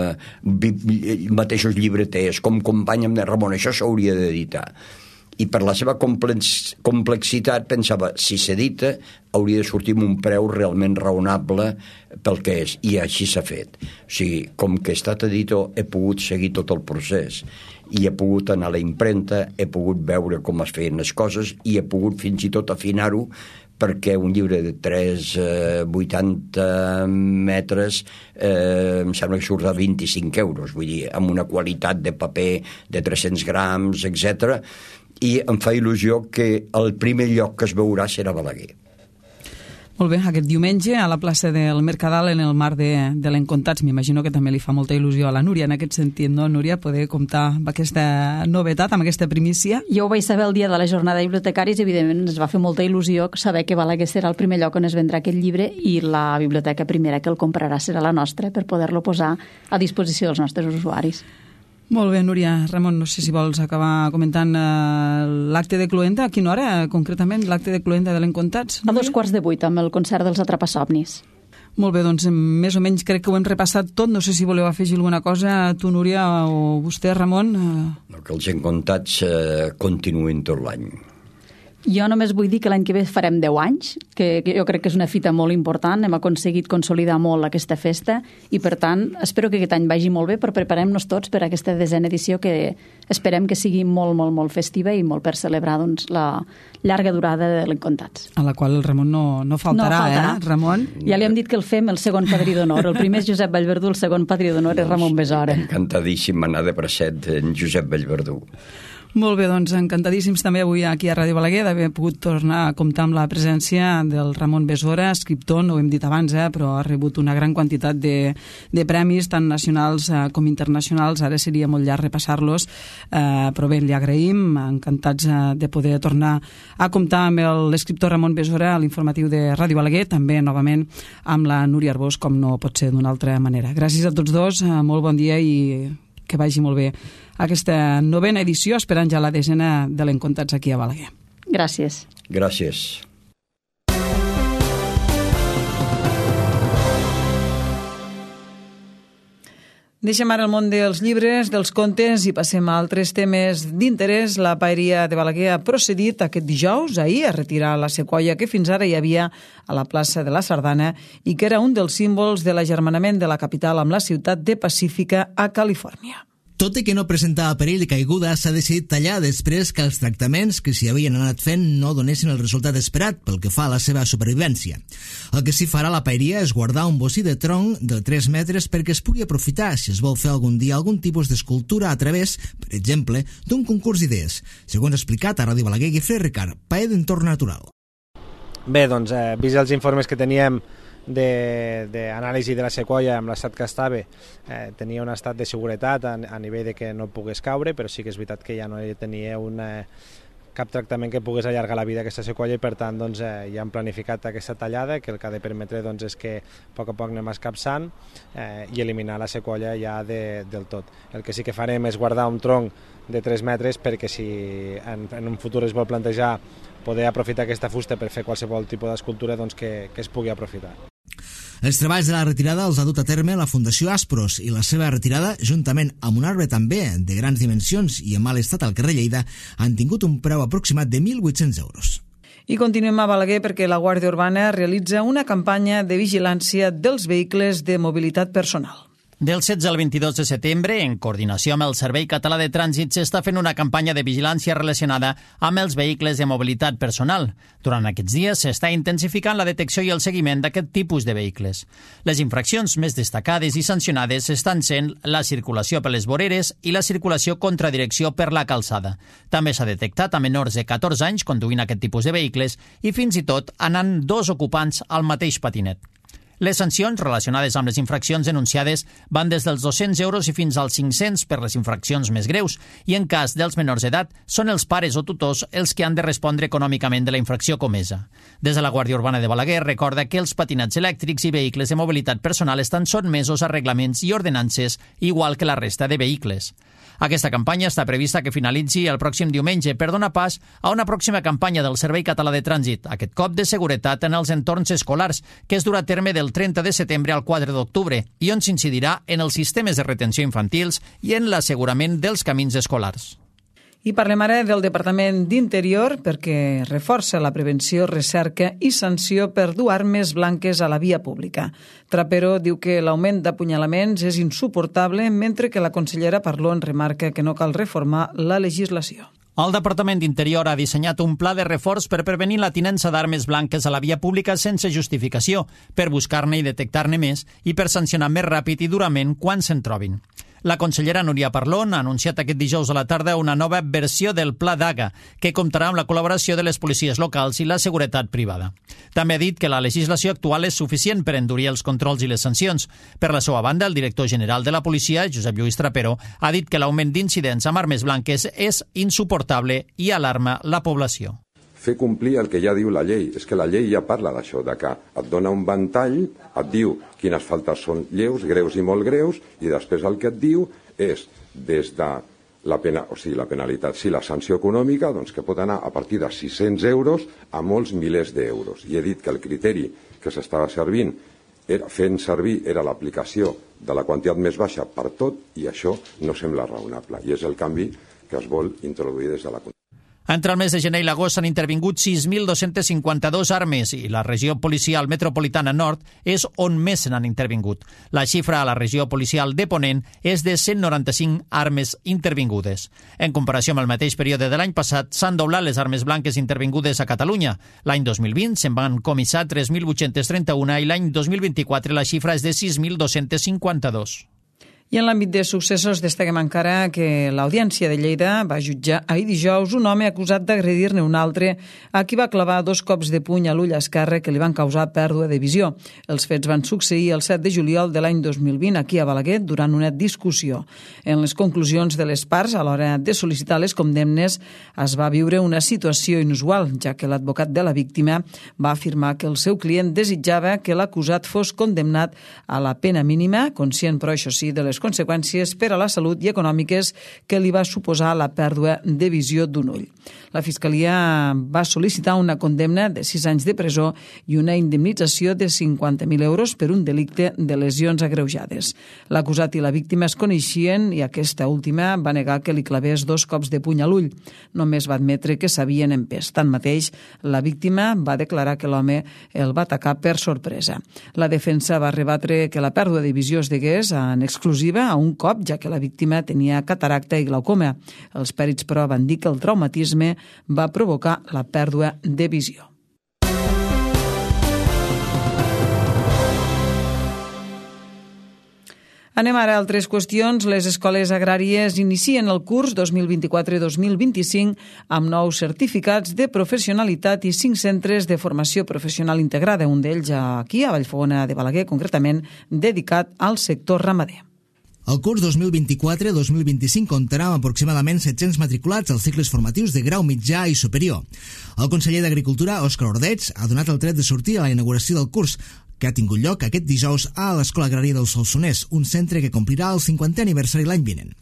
[SPEAKER 3] mateixos llibreters, com company, em deien, Ramon, això s'hauria d'editar. I per la seva complexitat pensava, si s'edita, hauria de sortir amb un preu realment raonable pel que és, i així s'ha fet. O sigui, com que he estat editor, he pogut seguir tot el procés, i he pogut anar a la impremta, he pogut veure com es feien les coses, i he pogut fins i tot afinar-ho, perquè un llibre de 3,80 metres em sembla que surt a 25 euros, vull dir, amb una qualitat de paper de 300 grams, etc. I em fa il·lusió que el primer lloc que es veurà serà Balaguer.
[SPEAKER 1] Molt bé, aquest diumenge a la plaça del Mercadal, en el marc de l'Encontats, m'imagino que també li fa molta il·lusió a la Núria en aquest sentit, no, Núria, poder comptar amb aquesta novetat, amb aquesta primícia?
[SPEAKER 4] Jo ho vaig saber el dia de la jornada de bibliotecàries i evidentment ens va fer molta il·lusió saber que Balaguer serà el primer lloc on es vendrà aquest llibre i la biblioteca primera que el comprarà serà la nostra per poder-lo posar a disposició dels nostres usuaris.
[SPEAKER 1] Molt bé, Núria. Ramon, no sé si vols acabar comentant l'acte de Cluenda. A quina hora, concretament, l'acte de Cluenda de l'Encontats?
[SPEAKER 4] A 7:15 amb el concert dels Atrapasomnis.
[SPEAKER 1] Molt bé, doncs més o menys crec que ho hem repassat tot. No sé si voleu afegir alguna cosa, tu, Núria, o vostè, Ramon.
[SPEAKER 3] Que els Encontats continuïn tot l'any.
[SPEAKER 4] Jo només vull dir que l'any que ve farem 10 anys, que jo crec que és una fita molt important, hem aconseguit consolidar molt aquesta festa i, per tant, espero que aquest any vagi molt bé, però preparem-nos tots per a aquesta 10a edició que esperem que sigui molt, molt, molt festiva i molt per celebrar doncs, la llarga durada de l'Encontats.
[SPEAKER 1] A la qual el Ramon no faltarà, Ramon?
[SPEAKER 4] Ja li hem dit que el fem el segon padrí d'honor. El primer és Josep Vallverdú, el segon padrí d'honor és Ramon Besora.
[SPEAKER 3] Encantadíssim anar de bracet en Josep Vallverdú.
[SPEAKER 1] Molt bé, doncs encantadíssims també avui aquí a Ràdio Balaguer d'haver pogut tornar a comptar amb la presència del Ramon Besora, escriptor, no ho hem dit abans, però ha rebut una gran quantitat de premis, tant nacionals com internacionals. Ara seria molt llarg repassar-los, però bé, li agraïm, encantats de poder tornar a comptar amb l'escriptor Ramon Besora a l'informatiu de Ràdio Balaguer, també novament amb la Núria Arbós, com no pot ser d'una altra manera. Gràcies a tots dos, molt bon dia i que vagi molt bé aquesta 9a edició, esperant ja la 10a de l'Encontats aquí a Balaguer.
[SPEAKER 4] Gràcies.
[SPEAKER 3] Gràcies.
[SPEAKER 1] Deixem ara el món dels llibres, dels contes i passem a altres temes d'interès. La Paeria de Balaguer ha procedit aquest dijous, ahir, a retirar la sequoia que fins ara hi havia a la plaça de la Sardana i que era un dels símbols de l'agermanament de la capital amb la ciutat de Pacífica a Califòrnia.
[SPEAKER 5] Tot i que no presentava perill de caiguda, s'ha decidit tallar després que els tractaments que s'hi havien anat fent no donessin el resultat esperat pel que fa a la seva supervivència. El que s'hi farà a la paeria és guardar un bocí de tronc de 3 metres perquè es pugui aprofitar si es vol fer algun dia algun tipus d'escultura a través, per exemple, d'un concurs d'idees, segons ha explicat a Ràdio Balaguer Guifré Ricard, paer d'entorn natural.
[SPEAKER 6] Bé, doncs, vist els informes que teníem d'anàlisi de la sequoia amb l'estat que estava, tenia un estat de seguretat a nivell de que no pogués caure, però sí que és veritat que ja no tenia cap tractament que pogués allargar la vida d'aquesta sequoia i per tant doncs, ja hem planificat aquesta tallada que el que ha de permetre doncs, és que a poc anem escapçant i eliminar la sequoia ja del tot. El que sí que farem és guardar un tronc de 3 metres perquè si en un futur es vol plantejar poder aprofitar aquesta fusta per fer qualsevol tipus d'escultura doncs, que es pugui aprofitar.
[SPEAKER 5] Els treballs de la retirada els ha dut a terme la Fundació Aspros i la seva retirada, juntament amb un arbre també de grans dimensions i en mal estat al carrer Lleida, han tingut un preu aproximat de 1.800 euros.
[SPEAKER 1] I continuem a Balaguer perquè la Guàrdia Urbana realitza una campanya de vigilància dels vehicles de mobilitat personal.
[SPEAKER 2] Del 16 al 22 de setembre, en coordinació amb el Servei Català de Trànsit, s'està fent una campanya de vigilància relacionada amb els vehicles de mobilitat personal. Durant aquests dies s'està intensificant la detecció i el seguiment d'aquest tipus de vehicles. Les infraccions més destacades i sancionades estan sent la circulació per les voreres i la circulació contra direcció per la calçada. També s'ha detectat a menors de 14 anys conduint aquest tipus de vehicles i fins i tot anant 2 ocupants al mateix patinet. Les sancions relacionades amb les infraccions denunciades van des dels 200 euros i fins als 500 per les infraccions més greus i en cas dels menors d'edat són els pares o tutors els que han de respondre econòmicament de la infracció comesa. Des de la Guàrdia Urbana de Balaguer recorda que els patinats elèctrics i vehicles de mobilitat personal estan sotmesos a reglaments i ordenances igual que la resta de vehicles. Aquesta campanya està prevista que finalitzi el pròxim diumenge per donar pas a una pròxima campanya del Servei Català de Trànsit, aquest cop de seguretat en els entorns escolars, que es durà a terme del 30 de setembre al 4 d'octubre i on s'incidirà en els sistemes de retenció infantils i en l'assegurament dels camins escolars.
[SPEAKER 1] I parlem ara del Departament d'Interior perquè reforça la prevenció, recerca i sanció per dur armes blanques a la via pública. Trapero diu que l'augment d'apunyalaments és insuportable, mentre que la consellera Parlon remarca que no cal reformar la legislació.
[SPEAKER 2] El Departament d'Interior ha dissenyat un pla de reforç per prevenir la tinença d'armes blanques a la via pública sense justificació, per buscar-ne i detectar-ne més i per sancionar més ràpid i durament quan se'n trobin. La consellera Núria Parlon ha anunciat aquest dijous a la tarda una nova versió del Pla Daga, que comptarà amb la col·laboració de les policies locals i la seguretat privada. També ha dit que la legislació actual és suficient per endurir els controls i les sancions. Per la seva banda, el director general de la policia, Josep Lluís Trapero, ha dit que l'augment d'incidents amb armes blanques és insuportable i alarma la població.
[SPEAKER 7] Fer complir el que ja diu la llei. És que la llei ja parla d'això, de que et dona un ventall, et diu quines faltes són lleus, greus i molt greus, i després el que et diu és des de la penalitat, la sanció econòmica, doncs que pot anar a partir de 600 euros a molts milers d'euros. I he dit que el criteri que s'estava fent servir era l'aplicació de la quantitat més baixa per tot, i això no sembla raonable. I és el canvi que es vol introduir des de la
[SPEAKER 2] Entre el mes de gener i l'agost s'han intervingut 6.252 armes i la regió policial metropolitana nord és on més se n'han intervingut. La xifra a la regió policial de Ponent és de 195 armes intervingudes. En comparació amb el mateix període de l'any passat, s'han doblat les armes blanques intervingudes a Catalunya. L'any 2020 se'n van comissar 3.831 i l'any 2024 la xifra és de 6.252.
[SPEAKER 1] I en l'àmbit de successos destaquem encara que l'Audiència de Lleida va jutjar ahir dijous un home acusat d'agredir-ne un altre a qui va clavar 2 cops de puny a l'ull esquerre que li van causar pèrdua de visió. Els fets van succeir el 7 de juliol de l'any 2020 aquí a Balaguer durant una discussió. En les conclusions de les parts, a l'hora de sol·licitar les condemnes, es va viure una situació inusual, ja que l'advocat de la víctima va afirmar que el seu client desitjava que l'acusat fos condemnat a la pena mínima, conscient, però això sí, de les conseqüències per a la salut i econòmiques que li va suposar la pèrdua de visió d'un ull. La Fiscalia va sol·licitar una condemna de 6 anys de presó i una indemnització de 50.000 euros per un delicte de lesions agreujades. L'acusat i la víctima es coneixien i aquesta última va negar que li clavés 2 cops de puny a l'ull. Només va admetre que s'havien empès. Tanmateix, la víctima va declarar que l'home el va atacar per sorpresa. La defensa va rebatre que la pèrdua de visió es degués en exclusiva a un cop, ja que la víctima tenia cataracta i glaucoma. Els pèrits, però, van dir que el traumatisme va provocar la pèrdua de visió. Anem ara a altres qüestions. Les escoles agràries inicien el curs 2024-2025 amb nous certificats de professionalitat i 5 centres de formació professional integrada, un d'ells aquí a Vallfogona de Balaguer, concretament dedicat al sector ramader.
[SPEAKER 5] El curs 2024-2025 comptarà amb aproximadament 700 matriculats als cicles formatius de grau mitjà i superior. El conseller d'Agricultura, Òscar Ordeig, ha donat el tret de sortir a la inauguració del curs, que ha tingut lloc aquest dijous a l'Escola Agrària del Solsonès, un centre que complirà el 50è aniversari l'any vinent.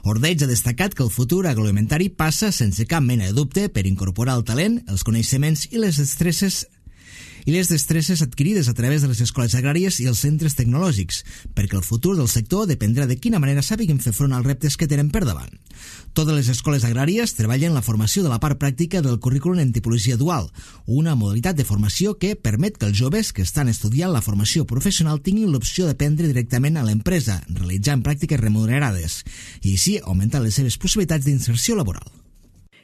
[SPEAKER 5] Ordeig ha destacat que el futur agroalimentari passa, sense cap mena de dubte, per incorporar el talent, els coneixements i les destreses adquirides a través de les escoles agràries i els centres tecnològics, perquè el futur del sector dependrà de quina manera sàpiguen fer front als reptes que tenen per davant. Totes les escoles agràries treballen la formació de la part pràctica del currículum en tipologia dual, una modalitat de formació que permet que els joves que estan estudiant la formació professional tinguin l'opció d'aprendre directament a l'empresa, realitzant pràctiques remunerades, i així augmentar les seves possibilitats d'inserció laboral.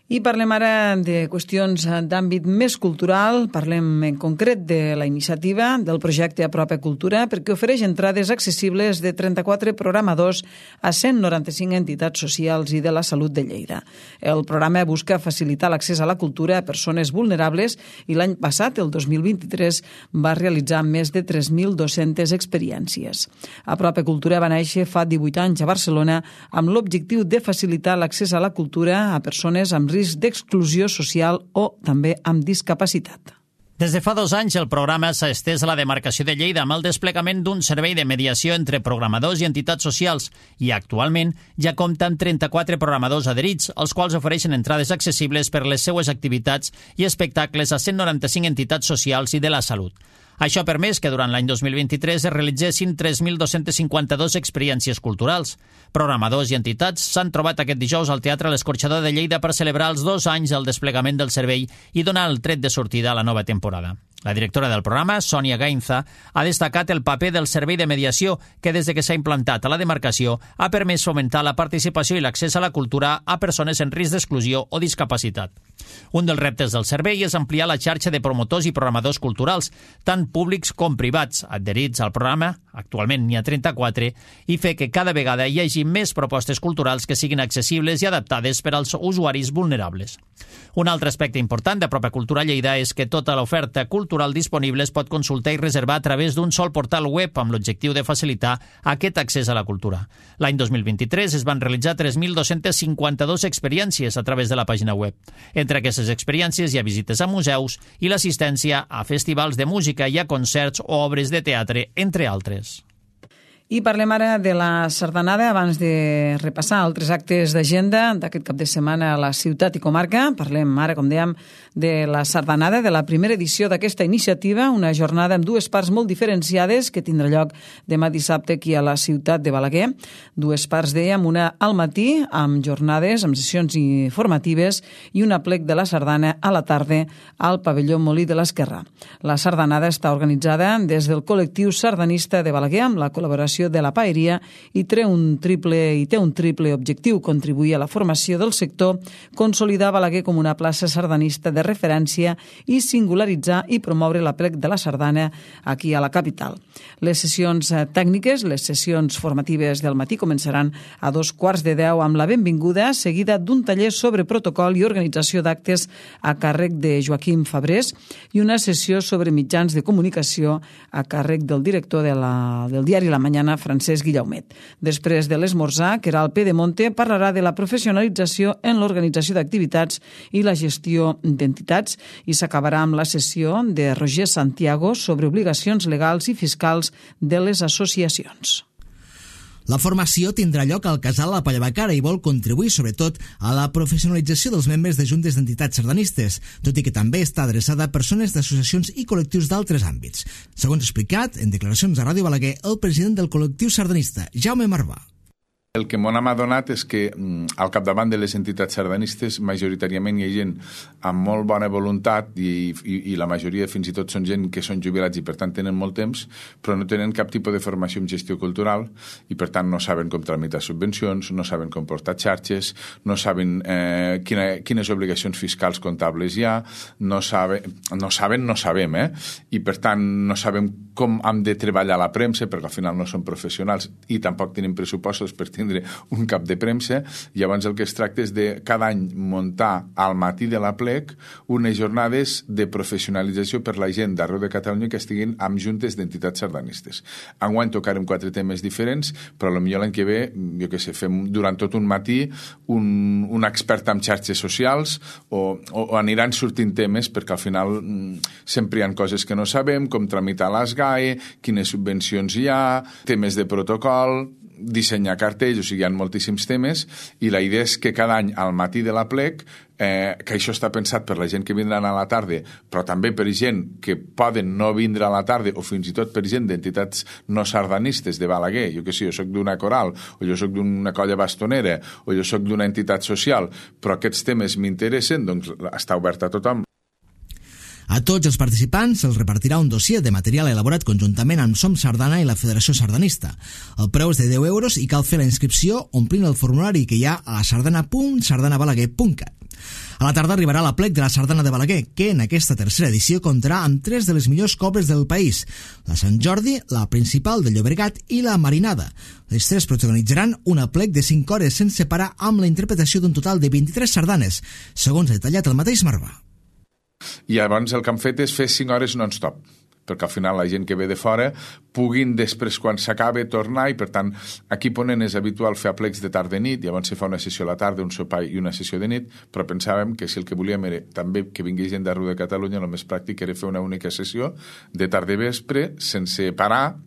[SPEAKER 1] I parlem ara de qüestions d'àmbit més cultural. Parlem en concret de la iniciativa del projecte Apropa Cultura, perquè ofereix entrades accessibles de 34 programadors a 195 entitats socials i de la salut de Lleida. El programa busca facilitar l'accés a la cultura a persones vulnerables i l'any passat, el 2023, va realitzar més de 3.200 experiències. Apropa Cultura va néixer fa 18 anys a Barcelona amb l'objectiu de facilitar l'accés a la cultura a persones amb risc d'exclusió social o també amb discapacitat.
[SPEAKER 2] Des de fa 2 anys, el programa s'ha estès a la demarcació de Lleida amb el desplegament d'un servei de mediació entre programadors i entitats socials i actualment ja compta amb 34 programadors adherits, els quals ofereixen entrades accessibles per les seues activitats i espectacles a 195 entitats socials i de la salut. Això ha permès que durant l'any 2023 es realitzessin 3.252 experiències culturals. Programadors i entitats s'han trobat aquest dijous al Teatre L'Escorxador de Lleida per celebrar els 2 anys del desplegament del servei i donar el tret de sortida a la nova temporada. La directora del programa, Sònia Gainza, ha destacat el paper del servei de mediació que des de que s'ha implantat a la demarcació ha permès fomentar la participació i l'accés a la cultura a persones en risc d'exclusió o discapacitat. Un dels reptes del servei és ampliar la xarxa de promotors i programadors culturals, tant públics com privats, adherits al programa, actualment n'hi ha 34, i fer que cada vegada hi hagi més propostes culturals que siguin accessibles i adaptades per als usuaris vulnerables. Un altre aspecte important d'Apropa Cultura Lleida és que tota l'oferta cultural disponible es pot consultar i reservar a través d'un sol portal web amb l'objectiu de facilitar aquest accés a la cultura. L'any 2023 es van realitzar 3.252 experiències a través de la pàgina web. Entre aquestes experiències hi ha visites a museus i l'assistència a festivals de música i a concerts o obres de teatre, entre altres.
[SPEAKER 1] I parlem ara de la sardanada abans de repassar altres actes d'agenda d'aquest cap de setmana a la ciutat i comarca. Parlem ara, com dèiem, de la sardanada, de la primera edició d'aquesta iniciativa, una jornada amb 2 parts molt diferenciades que tindrà lloc demà dissabte aquí a la ciutat de Balaguer. 2 parts, dèiem, una al matí amb jornades, amb sessions informatives i un aplec de la sardana a la tarda al pavelló Molí de l'Esquerrà. La sardanada està organitzada des del col·lectiu sardanista de Balaguer amb la col·laboració de la Paeria i té un triple objectiu: contribuir a la formació del sector, consolidar Balaguer com una plaça sardanista de referència i singularitzar i promoure l'aplec de la sardana aquí a la capital. Les sessions tècniques, les sessions formatives del matí començaran a 9:15 amb la benvinguda, seguida d'un taller sobre protocol i organització d'actes a càrrec de Joaquim Fabrés i una sessió sobre mitjans de comunicació a càrrec del director del diari La Mañana, Francesc Guillaumet. Després de l'esmorzar, Queralt Pedemonte parlarà de la professionalització en l'organització d'activitats i la gestió d'entitats i s'acabarà amb la sessió de Roger Santiago sobre obligacions legals i fiscals de les associacions.
[SPEAKER 5] La formació tindrà lloc al Casal La Pallabacara i vol contribuir, sobretot, a la professionalització dels membres de juntes d'entitats sardanistes, tot i que també està adreçada a persones d'associacions i col·lectius d'altres àmbits. Segons explicat, en declaracions a Ràdio Balaguer, el president del col·lectiu sardanista, Jaume Marvà.
[SPEAKER 8] El que m'ha adonat és que al capdavant de les entitats sardanistes majoritàriament hi ha gent amb molt bona voluntat i la majoria fins i tot són gent que són jubilats i per tant tenen molt temps, però no tenen cap tipus de formació en gestió cultural i per tant no saben com tramitar subvencions, no saben com portar xarxes, no saben quines obligacions fiscals comptables hi ha, no sabem, i per tant no sabem com hem de treballar la premsa perquè al final no són professionals i tampoc tenen pressupostos per tindre un cap de premsa. Llavors el que es tracta és de cada any muntar al matí de l'aplec unes jornades de professionalització per la gent d'arreu de Catalunya que estiguin amb juntes d'entitats sardanistes. Enguany tocarem 4 temes diferents, però potser l'any que ve, jo què sé, fem durant tot un matí un expert en xarxes socials o aniran sortint temes perquè al final sempre hi ha coses que no sabem, com tramitar les GAE, quines subvencions hi ha, temes de protocol, dissenyar cartells, o sigui, hi ha moltíssims temes i la idea és que cada any al matí de l'aplec, que això està pensat per la gent que vindran a la tarda, però també per gent que poden no vindre a la tarda o fins i tot per gent d'entitats no sardanistes de Balaguer, jo que sé, jo soc d'una coral o jo soc d'una colla bastonera o jo soc d'una entitat social, però aquests temes m'interessen, doncs està obert a tothom.
[SPEAKER 5] A tots els participants se'ls repartirà un dossier de material elaborat conjuntament amb Som Sardana i la Federació Sardanista. El preu és de 10 euros i cal fer la inscripció omplint el formulari que hi ha a sardana.sardanabalaguer.cat. A la tarda arribarà l'aplec de la Sardana de Balaguer, que en aquesta tercera edició comptarà amb 3 de les millors cobles del país: la Sant Jordi, la Principal de Llobregat i la Marinada. Les 3 protagonitzaran un aplec de 5 hores sense parar, amb la interpretació d'un total de 23 sardanes, segons ha detallat el mateix Marvà.
[SPEAKER 8] I llavors el que han fet és fer 5 hores non-stop, perquè al final la gent que ve de fora puguin després, quan s'acabe, tornar, i per tant aquí Ponent és habitual fer aplecs de tarda i nit, llavors se fa una sessió a la tarda, un sopar i una sessió de nit, però pensàvem que si el que volíem era també que vingui gent d'arreu de Catalunya, el més pràctic era fer una única sessió de tarda i vespre, sense parar,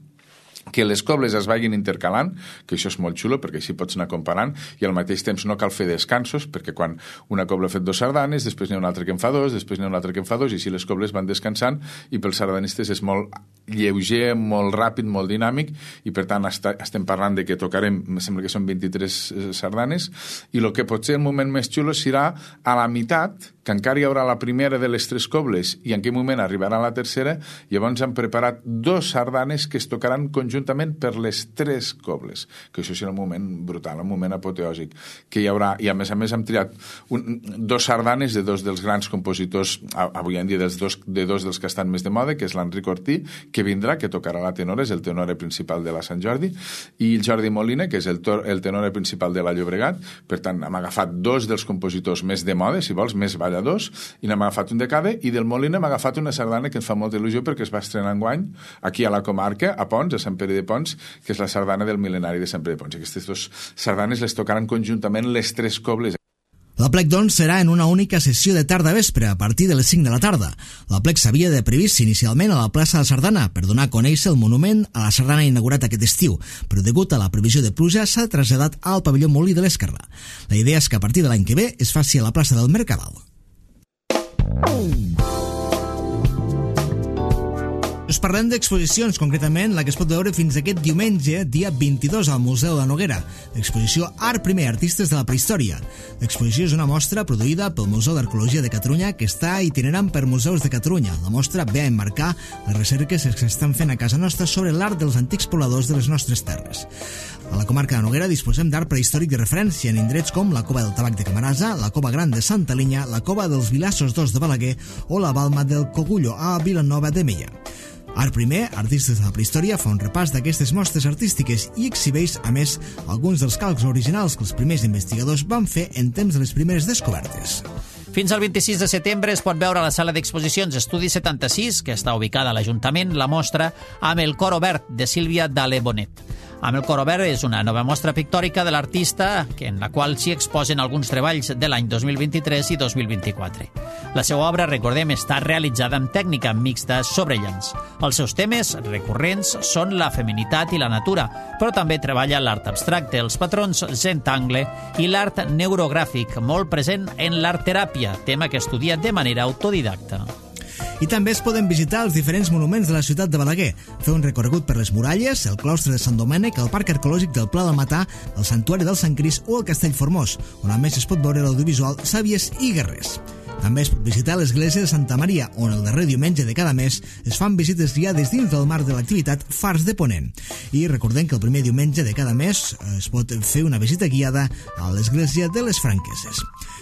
[SPEAKER 8] que les cobles es vagin intercalant, que això és molt xulo perquè així pots anar comparant, i al mateix temps no cal fer descansos, perquè quan una cobla ha fet 2 sardanes, després n'hi ha una altra que en fa 2, després n'hi ha una altra que en fa 2, i així les cobles van descansant, i pels sardanistes és molt lleuger, molt ràpid, molt dinàmic, i per tant estem parlant de que tocarem, em sembla que són 23 sardanes, i el que pot ser el moment més xulo serà a la meitat, que encara hi haurà la primera de les 3 cobles, i en quin moment arribarà la tercera. Llavors han preparat 2 sardanes que es tocaran conjuntament per les 3 cobles, que això serà un moment brutal, un moment apoteòsic, que hi haurà, i a més hem triat 2 sardanes de 2 dels grans compositors, avui en dia de 2 dels que estan més de moda, que és l'Enric Ortí, que vindrà, que tocarà la tenora, és el tenor principal de la Sant Jordi, i el Jordi Molina, que és el tenor principal de la Llobregat. Per tant, hem agafat 2 dels compositors més de moda, si vols, més balladors, i n'hem agafat un de cada, i del Molina hem agafat una sardana que ens fa molta il·lusió perquè es va estrenar enguany aquí a la comarca, a Pons, a Sant Pere de Pons, que és la sardana del mil·lenari de Sant Pere de Pons. Aquestes 2 sardanes les tocaran conjuntament les 3 cobles.
[SPEAKER 5] L'aplec, doncs, serà en una única sessió de tarda-vespre, a partir de les 5 de la tarda. L'aplec s'havia de previst inicialment a la plaça de la Sardana per donar a conèixer el monument a la sardana inaugurat aquest estiu, però degut a la previsió de pluja s'ha traslladat al pavelló Molí de l'Esquerra. La idea és que a partir de l'any que ve es faci a la plaça del Mercadal. Us parlem d'exposicions, concretament la que es pot veure fins aquest diumenge, dia 22, al Museu de la Noguera. L'exposició Art Primer, Artistes de la Prehistòria. L'exposició és una mostra produïda pel Museu d'Arqueologia de Catalunya, que està itinerant per museus de Catalunya. La mostra ve a emmarcar les recerques que s'estan fent a casa nostra sobre l'art dels antics pobladors de les nostres terres. A la comarca de Noguera disposem d'art prehistòric de referència en indrets com la Cova del Tabac de Camarasa, la Cova Gran de Santa Linya, la Cova dels Vilassos d'Os de Balaguer o la Balma del Cogullo a Vilanova de Meià. Art Primer, Artistes de la Prehistòria, fa un repàs d'aquestes mostres artístiques i exhibeix, a més, alguns dels calcs originals que els primers investigadors van fer en temps de les primeres descobertes.
[SPEAKER 2] Fins al 26 de setembre es pot veure a la sala d'exposicions Estudi 76, que està ubicada a l'Ajuntament, la mostra Amb el cor obert, de Sílvia Dale Bonet. Amb el cor obert és una nova mostra pictòrica de l'artista en la qual s'hi exposen alguns treballs de l'any 2023 i 2024. La seva obra, recordem, està realitzada amb tècnica mixta sobre llenç. Els seus temes recurrents són la feminitat i la natura, però també treballa l'art abstracte, els patrons Zentangle i l'art neurogràfic, molt present en l'art-teràpia, tema que estudia de manera autodidacta.
[SPEAKER 5] I també es poden visitar els diferents monuments de la ciutat de Balaguer, fer un recorregut per les muralles, el claustre de Sant Domènec, el parc arqueològic del Pla del Matà, el santuari del Sant Cris o el Castell Formós, on a més es pot veure l'audiovisual Sàvies i Guerrers. També es pot visitar l'església de Santa Maria, on el darrer diumenge de cada mes es fan visites guiades dins del marc de l'activitat Fars de Ponent. I recordem que el primer diumenge de cada mes es pot fer una visita guiada a l'església de les Franqueses.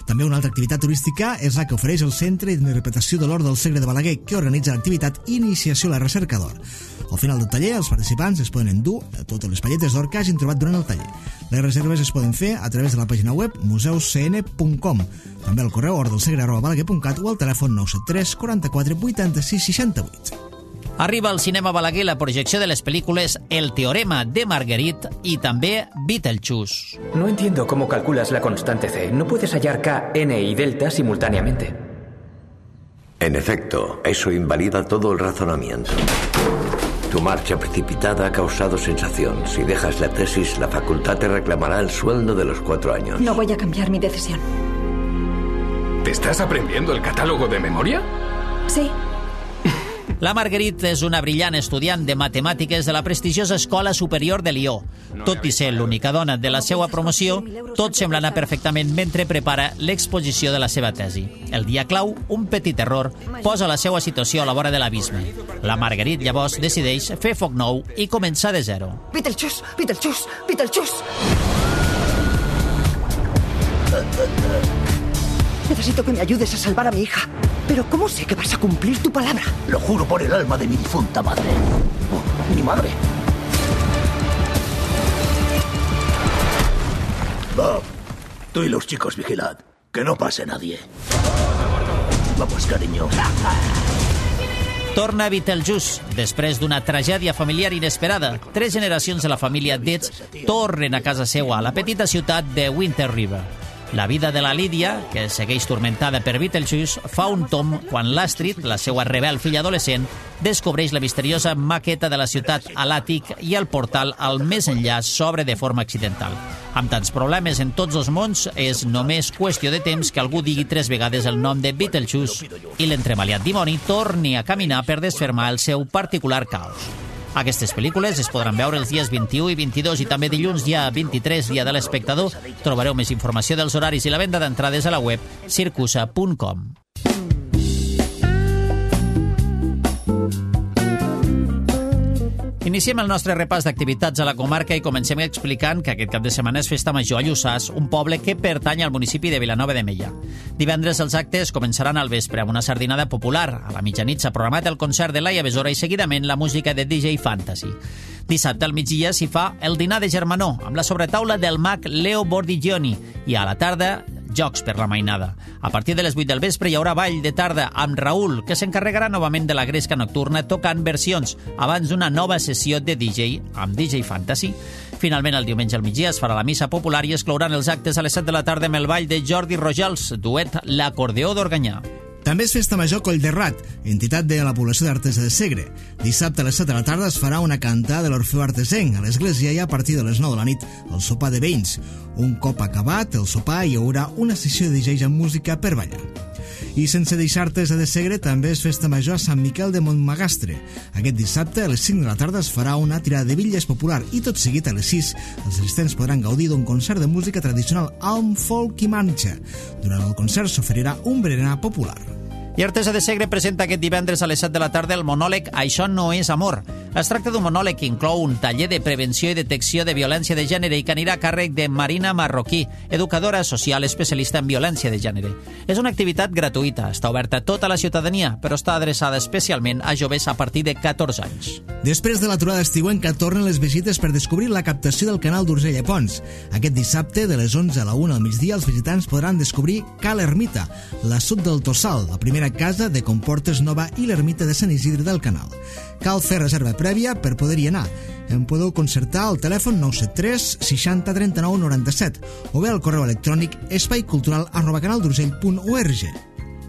[SPEAKER 5] També una altra activitat turística és la que ofereix el Centre d'Interpretació de l'Or del Segre de Balaguer, que organitza l'activitat Iniciació a la Recerca d'Or. Al final del taller, els participants es poden endur totes les palletes d'or que hagin trobat durant el taller. Les reserves es poden fer a través de la pàgina web museuscn.com, també al correu ordelsegre@balaguer.cat o al telèfon 973 44 86 68.
[SPEAKER 2] Arriba al cinema Balaguer la projecció de les pel·lícules El teorema de Marguerite i també Beetlejuice.
[SPEAKER 9] No entiendo cómo calculas la constante C. No puedes hallar K, N y delta simultáneamente.
[SPEAKER 10] En efecto, eso invalida todo el razonamiento. Tu marcha precipitada ha causado sensación. Si dejas la tesis, la facultad te reclamará el sueldo de los 4 años.
[SPEAKER 11] No voy a cambiar mi decisión.
[SPEAKER 12] ¿Te estás aprendiendo el catálogo de memoria?
[SPEAKER 11] Sí.
[SPEAKER 2] La Marguerite és una brillant estudiant de matemàtiques de la prestigiosa Escola Superior de Lió. Tot i ser l'única dona de la seva promoció, tot sembla anar perfectament mentre prepara l'exposició de la seva tesi. El dia clau, un petit error, posa la seva situació a la vora de l'abisme. La Marguerite llavors decideix fer foc nou i començar de zero.
[SPEAKER 11] Beetlejuice, Beetlejuice, Beetlejuice.
[SPEAKER 13] Necesito que me ayudes a salvar a mi hija. Pero ¿cómo sé que vas a cumplir tu palabra?
[SPEAKER 14] Lo juro por el alma de mi difunta madre. Mi madre. Bob, tú y los chicos vigilad. Que no pase nadie. Vamos, cariño.
[SPEAKER 2] Torna Beetlejuice. Després d'una tragèdia familiar inesperada, 3 generacions de la família Deeds tornen a casa seua, a la petita ciutat de Winter River. La vida de la Lídia, que segueix tormentada per Beetlejuice, fa un tomb quan l'Astrid, la seva rebel filla adolescent, descobreix la misteriosa maqueta de la ciutat a l'àtic i el portal al més enllà s'obre de forma accidental. Amb tants problemes en tots els mons, és només qüestió de temps que algú digui 3 vegades el nom de Beetlejuice i l'entremaliat dimoni torni a caminar per desfermar el seu particular caos. Aquestes pel·lícules es podran veure els dies 21 i 22 i també dilluns, dia 23, dia de l'espectador. Trobareu més informació dels horaris i la venda d'entrades a la web circusa.com. Iniciem el nostre repàs d'activitats a la comarca i comencem explicant que aquest cap de setmana és Festa Major a Lluçàs, un poble que pertany al municipi de Vilanova de Meià. Divendres els actes començaran al vespre amb una sardinada popular. A la mitjanit s'ha programat el concert de Laia Besora i seguidament la música de DJ Fantasy. Dissabte al migdia s'hi fa el dinar de germanor amb la sobretaula del mag Leo Bordigioni i a la tarda jocs per la mainada. A partir de les 8 del vespre hi haurà ball de tarda amb Raül, que s'encarregarà novament de la gresca nocturna tocant versions abans d'una nova sessió de DJ amb DJ Fantasy. Finalment, el diumenge al migdia es farà la missa popular i es clouran els actes a les 7 de la tarda amb el ball de Jordi Rojals, duet L'acordeó d'Organyà.
[SPEAKER 5] També és Festa Major Collderrat, entitat de la població d'Artesa de Segre. Dissabte a les 7 de la tarda es farà una cantada de l'Orfeu Artesenc a l'església i a partir de les 9 de la nit el sopar de veïns. Un cop acabat el sopar hi haurà una sessió de DJs amb música per ballar. I sense deixar Artesa de Segre també és Festa Major a Sant Miquel de Montmagastre. Aquest dissabte a les 5 de la tarda es farà una tirada de bitlles popular i tot seguit a les 6 els assistents podran gaudir d'un concert de música tradicional amb folk i manxa. Durant el concert s'oferirà un berenar popular.
[SPEAKER 2] I Artesa de Segre presenta aquest divendres a les 7 de la tarda el monòleg Això no és amor. Es tracta d'un monòleg que inclou un taller de prevenció i detecció de violència de gènere i que anirà a càrrec de Marina Marroquí, educadora social especialista en violència de gènere. És una activitat gratuïta, està oberta a tota la ciutadania, però està adreçada especialment a joves a partir de 14 anys.
[SPEAKER 5] Després de l'aturada estiuenca tornen les visites per descobrir la captació del canal d'Urgell a Pons. Aquest dissabte, de les 11 a la 1 al migdia, els visitants podran descobrir Cal Ermita, l'assut del Tossal, la primera casa de Comportes Nova i l'ermita de Sant Isidre del Canal. Cal fer reserva prèvia per poder-hi anar. En podeu concertar al telèfon 973 60 39 97 o bé al correu electrònic espaicultural@canaldurgell.org.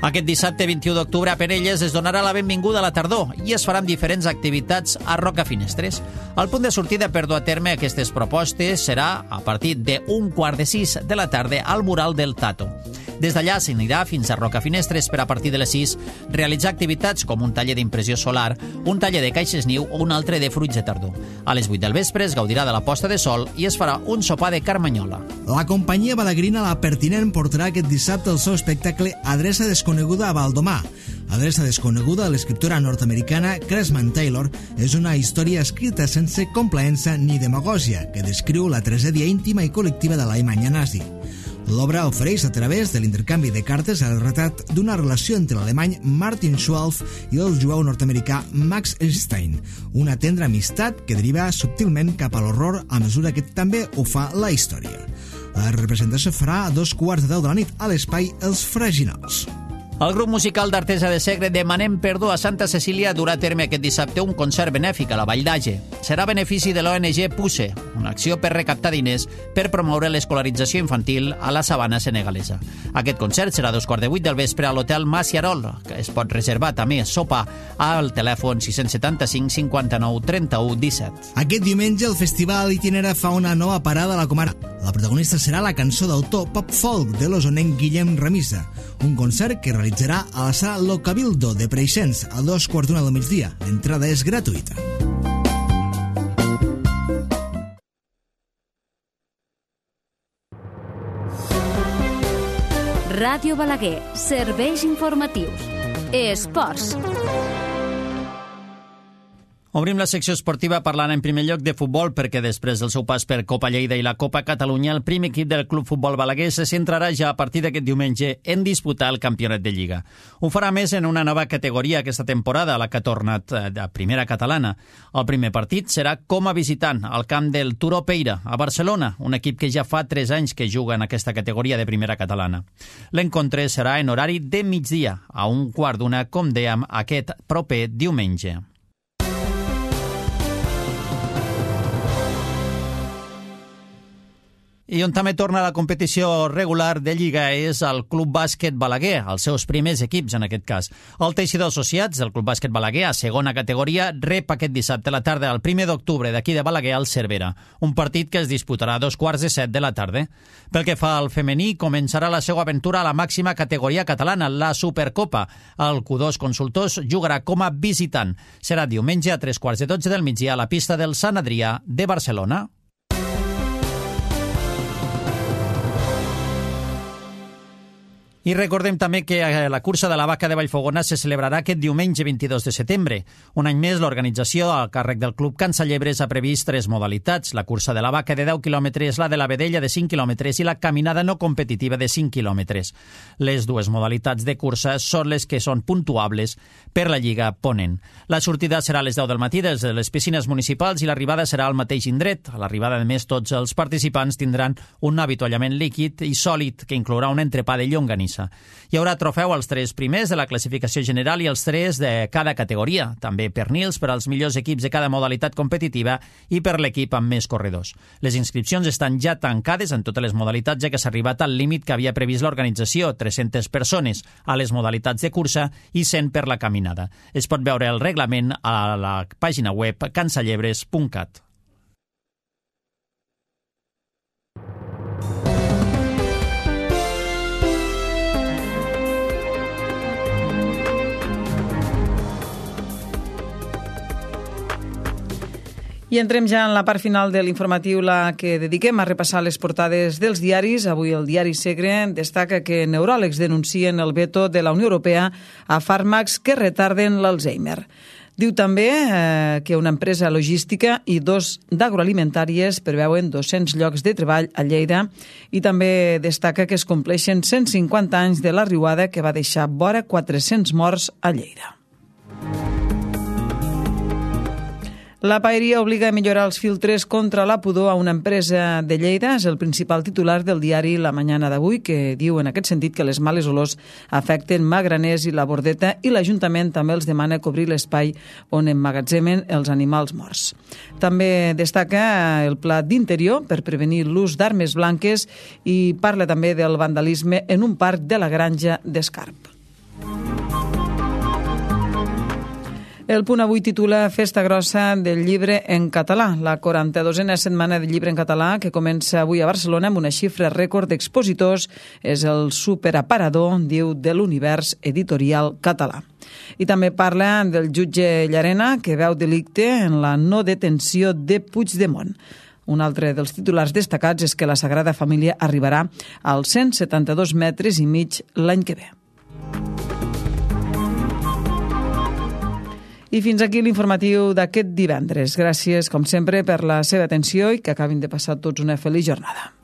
[SPEAKER 2] Aquest dissabte 21 d'octubre a Penelles es donarà la benvinguda a la tardor i es faran diferents activitats a Rocafinestres. El punt de sortida per dur a terme aquestes propostes serà a partir de 5:15 de la tarda al mural del Tato. Des d'allà s'anirà fins a Rocafinestres per a partir de les 6 realitzar activitats com un taller d'impressió solar, un taller de caixes niu o un altre de fruits de tardor. A les 8 del vespre es gaudirà de la posta de sol i es farà un sopar de carmanyola.
[SPEAKER 5] La companyia balaguerina La Pertinent portarà aquest dissabte el seu espectacle Adreça desconeguda a Valdomar. Adreça desconeguda de l'escriptora nord-americana Cressman Taylor és una història escrita sense complaença ni demagògia que descriu la tragèdia íntima i col·lectiva de l'Alemanya nazi. L'obra ofereix a través de l'intercanvi de cartes el retrat d'una relació entre l'alemany Martin Schwalf i el jueu nord-americà Max Einstein, una tendra amistat que deriva subtilment cap a l'horror a mesura que també ho fa la història. La representació farà a 2:15 de la nit a l'espai Els Fraginals.
[SPEAKER 2] El grup musical d'Artesa de Segre Demanem Perdó a Santa Cecília durà a terme aquest dissabte un concert benèfic a la Vall d'Age. Serà a benefici de l'ONG PUSE, una acció per recaptar diners per promoure l'escolarització infantil a la sabana senegalesa. Aquest concert serà a 2:15 del vespre a l'Hotel Maciarol, que es pot reservar també sopar al telèfon 675 59 31 17.
[SPEAKER 5] Aquest diumenge el Festival Itinera fa una nova parada a la comarca. La protagonista serà la cançó d'autor pop-folk de l'osonenc Guillem Remisa, un concert que realitzarà a la sala Lo Cabildo de Preixens a 2:15 del migdia. L'entrada és gratuïta.
[SPEAKER 15] Ràdio Balaguer, serveis informatius. Esports.
[SPEAKER 2] Obrim la secció esportiva parlant en primer lloc de futbol perquè després del seu pas per Copa Lleida i la Copa Catalunya, el primer equip del Club Futbol Balaguer se centrarà ja a partir d'aquest diumenge en disputar el campionat de Lliga. Ho farà més en una nova categoria aquesta temporada, la que ha tornat de primera catalana. El primer partit serà com a visitant al camp del Turó Peira, a Barcelona, un equip que ja fa 3 anys que juga en aquesta categoria de primera catalana. L'encontre serà en horari de migdia, a 1:15, com dèiem, aquest proper diumenge. I on també torna la competició regular de Lliga és el Club Bàsquet Balaguer, els seus primers equips en aquest cas. El Teixidor Associats del Club Bàsquet Balaguer, a segona categoria, rep aquest dissabte a la tarda, el 1 d'octubre, d'aquí de Balaguer al Cervera. Un partit que es disputarà a 6:45 de la tarda. Pel que fa al femení, començarà la seva aventura a la màxima categoria catalana, la Supercopa. El Q2 Consultors jugarà com a visitant. Serà diumenge a 3:15 del migdia a la pista del Sant Adrià de Barcelona. I recordem també que la cursa de la Vaca de Vallfogona se celebrarà aquest diumenge 22 de setembre. Un any més, l'organització a càrrec del Club Can Sallebres ha previst 3 modalitats. La cursa de la Vaca de 10 quilòmetres, la de la Vedella de 5 quilòmetres i la caminada no competitiva de 5 quilòmetres. Les dues modalitats de cursa són les que són puntuables per la Lliga Ponent. La sortida serà a les 10 del matí des de les piscines municipals i l'arribada serà al mateix indret. A l'arribada, a més, tots els participants tindran un avituallament líquid i sòlid que inclourà un entrepà de llonganissa. Hi haurà trofeu als 3 primers de la classificació general i els 3 de cada categoria, també pernils per als millors equips de cada modalitat competitiva i per l'equip amb més corredors. Les inscripcions estan ja tancades en totes les modalitats, ja que s'ha arribat al límit que havia previst l'organització, 300 persones a les modalitats de cursa i 100 per la caminada. Es pot veure el reglament a la pàgina web cansallebres.cat.
[SPEAKER 1] I entrem ja en la part final de l'informatiu, la que dediquem a repassar les portades dels diaris. Avui el diari Segre destaca que neuròlegs denuncien el veto de la Unió Europea a fàrmacs que retarden l'Alzheimer. Diu també que una empresa logística i 2 d'agroalimentàries preveuen 200 llocs de treball a Lleida i també destaca que es compleixen 150 anys de la riuada que va deixar vora 400 morts a Lleida. La paeria obliga a millorar els filtres contra la pudor a una empresa de Lleida. És el principal titular del diari La Mañana d'avui, que diu en aquest sentit que les males olors afecten Magraners i la Bordeta i l'Ajuntament també els demana cobrir l'espai on emmagatzemen els animals morts. També destaca el pla d'interior per prevenir l'ús d'armes blanques i parla també del vandalisme en un parc de la Granja d'Escarp. El Punt avui titula Festa grossa del llibre en català, la 42a setmana del llibre en català que comença avui a Barcelona amb una xifra rècord d'expositors. És el superaparador, diu, de l'univers editorial català. I també parla del jutge Llarena que veu delicte en la no detenció de Puigdemont. Un altre dels titulars destacats és que la Sagrada Família arribarà als 172 metres i mig l'any que ve. I fins aquí l'informatiu d'aquest divendres. Gràcies, com sempre, per la seva atenció i que acabin de passar tots una feliç jornada.